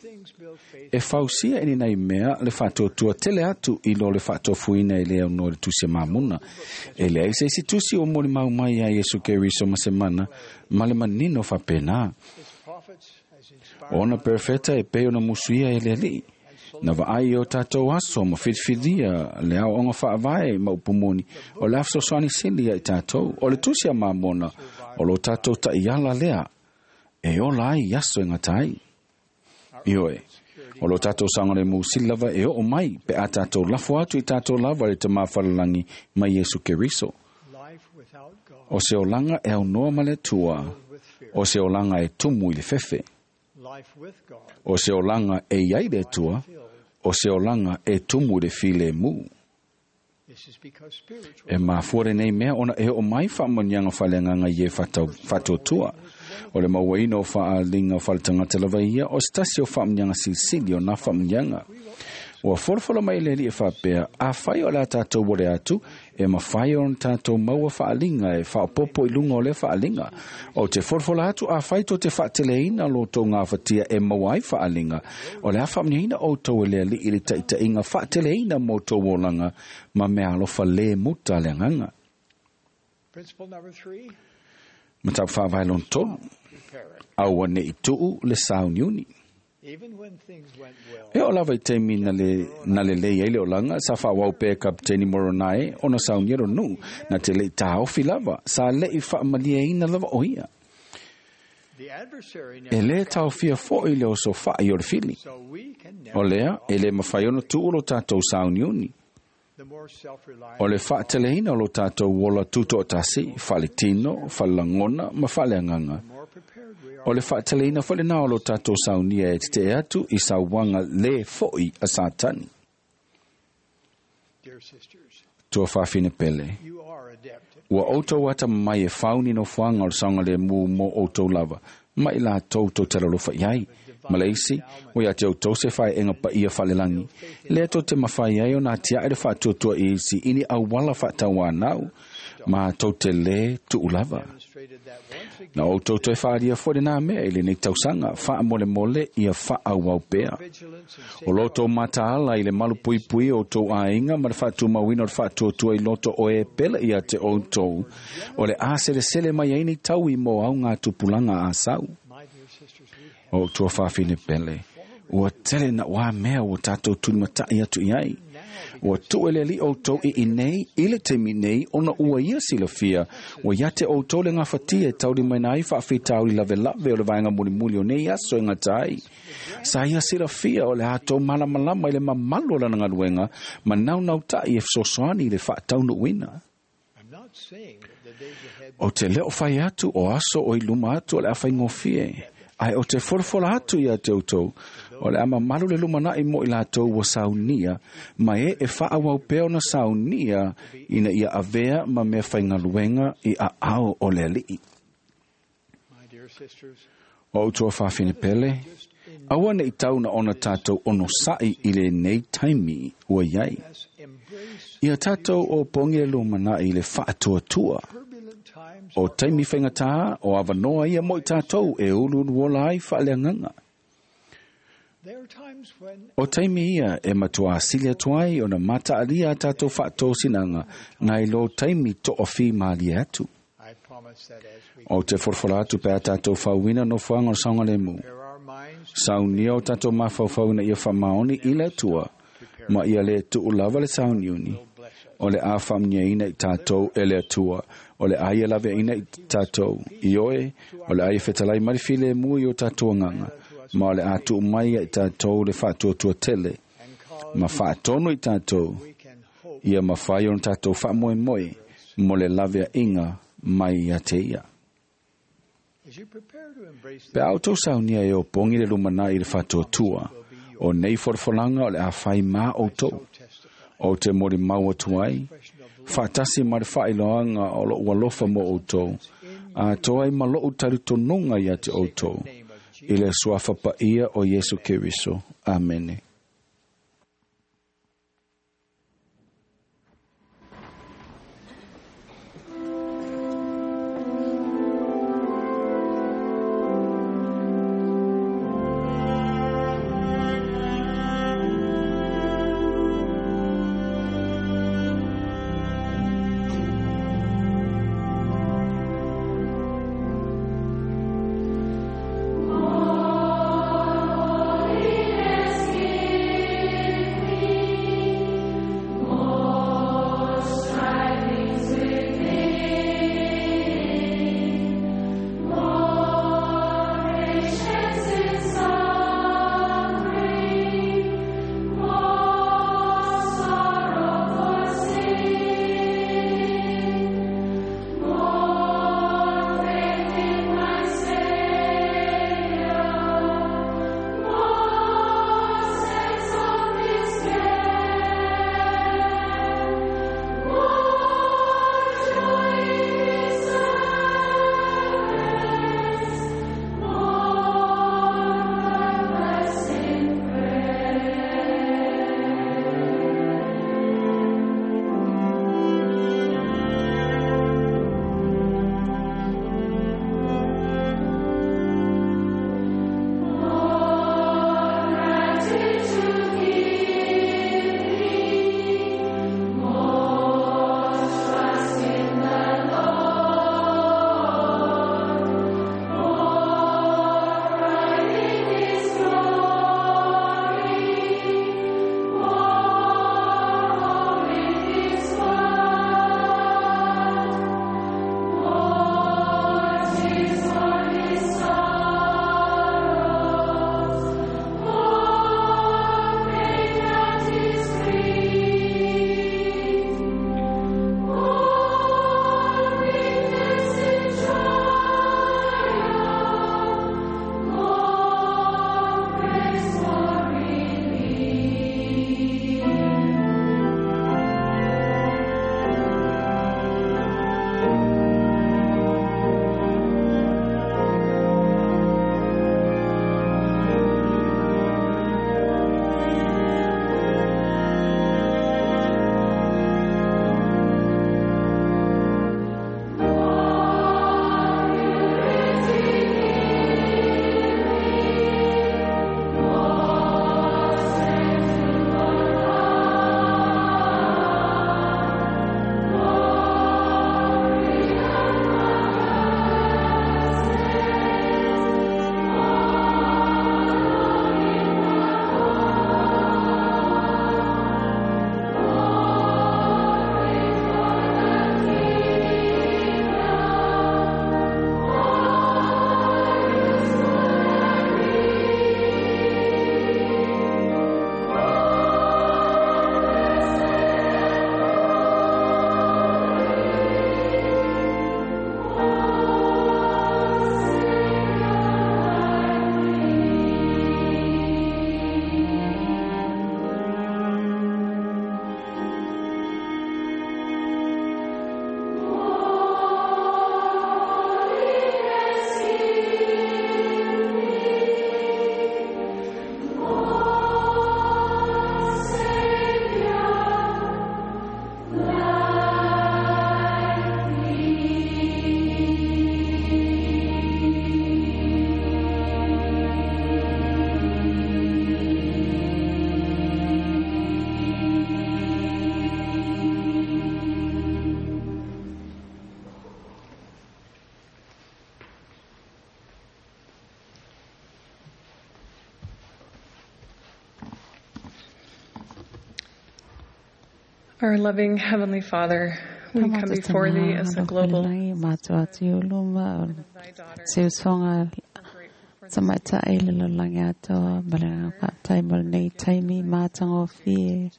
E fausia e ni nei mea le whaatuatua tele atu i lo le whaatofuina i leo no le tusi mamuna. E lea se isi tusi o mori mau mai a Yesu Keriso masemana ma le manino whapena. Ona perfeta e peo na musuia e le alii. Na vaai o tātou aso ma whitiwhiria le ao onga whaavae ma upumoni o le afsoswani sili ai tātou o le tusi a mamona o lo tātou ta iala lea e ola ai aso e ngatai. Ioe, o lo tātou sangare mu silava e o mai pe a tātou lafo atu i tātou lava le te mawhalalangi mai Yesu Keriso. O se olanga e au noa ma le tua, o se olanga e tumu i le fefe. O se olanga e iai le tua, o se olanga e tumu le file mu. E mafuare nei mea ona e o mai whaamanianga whaleanganga i e whatotua. O le mauaina o whaalinga o whaletangata lava ia, o stasi o whaamanianga silisili o nā whaamanianga. Ua folofola mai le li e whapea, a whai o la tātou wore atu, e mawhai o tātou maua whaalinga, e whaopopo i lunga o le whaalinga. O te folofola atu, a whai tō te whaateleina lo tō ngā whatia e maua ai whaalinga. O le a whaamniina o tō e lea li i le taitainga whaateleina mō tō wolanga, ma mea alofa le muta le nganga. Matau whaavailon tolu, aua ne i tuu le sauniuni. E o lava i teimi na le lei ai le olanga, sa whaawau pē kapteni Moronae, ona sauniero nu, na te lei tāofi lava, sa lei whaamalia ina lava o ia. E le taofia fo i le oso whaai o le fili. O lea, e le mawhai ono tuu lo tātou sauniuni. O le whaateleina o lo tātou wola tuto o tasi, whale tino, whale langona, ma whale anganga. O le whaateleina whale nā o lo tātou saunia e te atu i sauanga le foi a Satani. Tua whawhine pele. Ua outou ata mai e whauni no whanga o le saunga le mū mō outou lava. Mai la tau tau telalofa iai. Maleisi, o ia te outou se whae enga pa ia whalelangi. Lea tō te mawhai ai o nā tia e le whaatuatua i isi ini awala whaataua nau. Ma tau te le tuulava. Na outou toe whaaria fore nā mea i le nei tausanga, wha mole mole ia wha au pea. O loto mataala i le malu pui pui o tau ainga, ma le whaatumawina o le whaatuatua i loto o e pele ia te outou, o le a sele mai aini tau i mō au ngā tupulanga a sau. O tua whawhine pele, ua tele na wā mea o tātou tunimatai atu i ai. Ua tuele li outou i inei, i le teimi nei, ona ua ia silafia. Ua iate outou le ngawhatia e tauri mai nai whaawhitauri lave lave o le vaenga mulimuli o nei aso e ngatai. Sa ia silafia o le hatou malamalama i le mamalu o lana ngaluenga, ma nau nau tai e fesoasoani i le whaataunuuina. O te leo whai atu o aso o i luma atu o le awhai ngofie. Ai o te folafola atu ia te outou, o le ama malu le lumana'i mo i latou ua saunia, ma e e whaawau pea ona saunia ina ia avea ma mea whaingaluenga i a ao o le alii. O utua whawhine pele, aua nei tau na ona tātou ono sa'i i le nei taimi ua iai. Ia tātou o pongi le lumana'i le whaatuatua. O taimi whaingatā o awanoa ia mo i tātou e uluulu ai whaaleanganga. O taimi ia e matua asili atu ai o na mataalia a tātou whaatōsinanga ngai lo taimi to'ofi malia atu. O te forfora atu pe a tātou whauina no whanga o saunga le mu. Saunia o tātou mawhauwhauna ia whamaoni i le atua, ma ia le tu'ulava le sauniuni. O le a whamnia ina i tātou e le atua, o le aia lave ina i tātou i oe, o le aia whetalai marifile mu i o tātou nganga, ma o le atu mai i tātou le whaatuatua tele, ma whaatono i tātou, ia mawhai o tātou whaamoe moe, mo le lave inga mai ia te ia. Pe autou saunia e o pongi le lumana i le whaatuatua, o nei forfolanga o le a whai mā outou, o te mori mau atu ai, whaatasi ma le whailoanga o lo ualofa mo outou, a toai ma lou taritonunga ia te outou, i le suafa paia o Yesu Keriso. Amene. Our loving Heavenly Father, we come before Thee as a global Tamaitai le lalolagi atoa ma le agaga mo lenei taimi matagofie.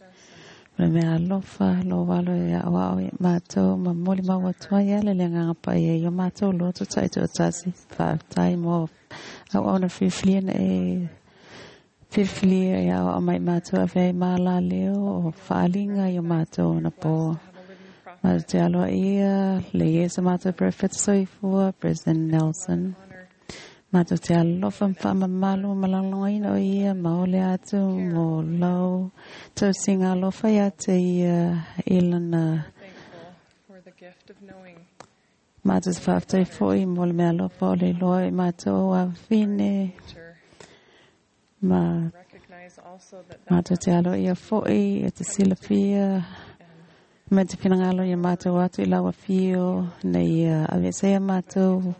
O le mea alofa lo valo e a'oa'o i matou ma moli mau atu ai ala le agaga paia i o matou loto ta'ito'atasi. Fa'afetai mo auauna filifilia na e filifilia e a'oa'o mai matou ave ai malaleo o fa'aliga i o matou ona po. Matou te aloa'ia le Iesu matou Perofeta soifua President Nelson. Matou te alofa ma fa'amamalu ma lagolagoina o ia ma ole atu mo lau tausiga alofa iā te ia i lana. Matou te fa'afetai fo'i mo le mea alofa o le iloa i matou afafine ma matou te aloa'ia fo'i e te silafia ma te finagalo ia matou atu i lau afio na ia aveseia matou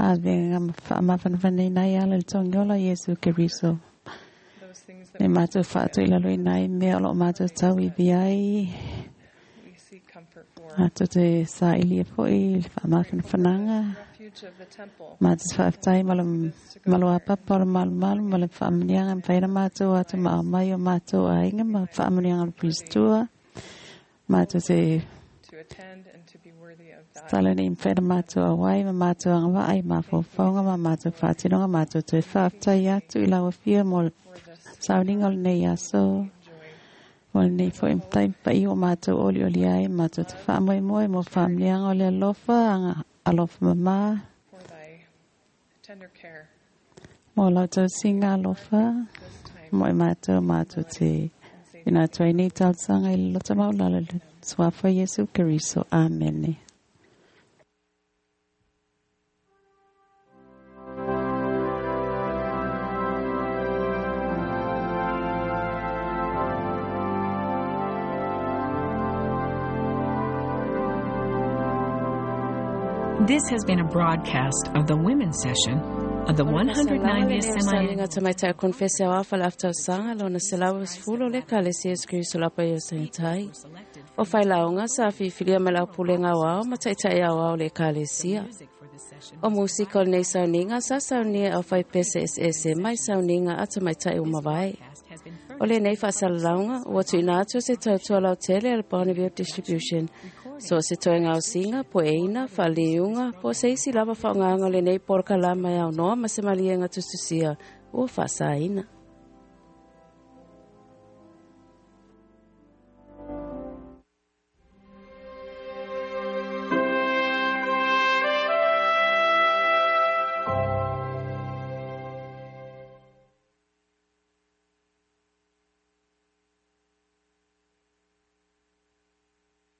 avega ma fa'amafanafanaina ai ala le togiola Iesu Keriso. E matou fa'ato'i laloina ai mea o lo'o matou tauivi ai. Matou te sa'ilia fo'i le fa'amafanafanaga. Matou te fa'afetai ma le maloapapa o le malumalu ma le fa'amanuiaga e mafai ona matou atu ma aumai o matou aiga ma fa'amanuiaga o le Pilistua. Matou te tala nei mafai ona matou auai ma matou agava'a i mafaufauga ma matou fa'atinoga matou toe fa'afetai atu i lau afio mo le sauniga o lenei aso. Mo lenei fo'i taimi paia ua matou olioli ai matou te fa'amoemoe mo fa'amanuiaga o le alofa aga alofa mamā. Mo lau tausiga alofa mo e matou matou te ina atu ai nei talosaga i le loto maualalo i le suafa Iesu Keriso. Amene. This has been a broadcast of the Women's Session of the 190th Semi-Annual Tamaitai Konfese o afa le aftausaga lona 190 o le Ekalesia Iesu Keriso lapa ia Sagitai. O failaoga sa fifilia ma le aupulega aoao ma ta'ita'i aoao le Ekalesia. O musika o lenei sauniga sa saunia au faipese eseese mai sauniga a tamaitai ua mavae. O lenei fa'asalalauga ua tu'uina atu se tautua lautele a le Bonneville Distribution. So se toega ausiga, poeina, fa'aliuga, po o se isi lava fa'aogaga o lenei polokalama e aunoa ma se maliega tusitusia ua fa'asaina.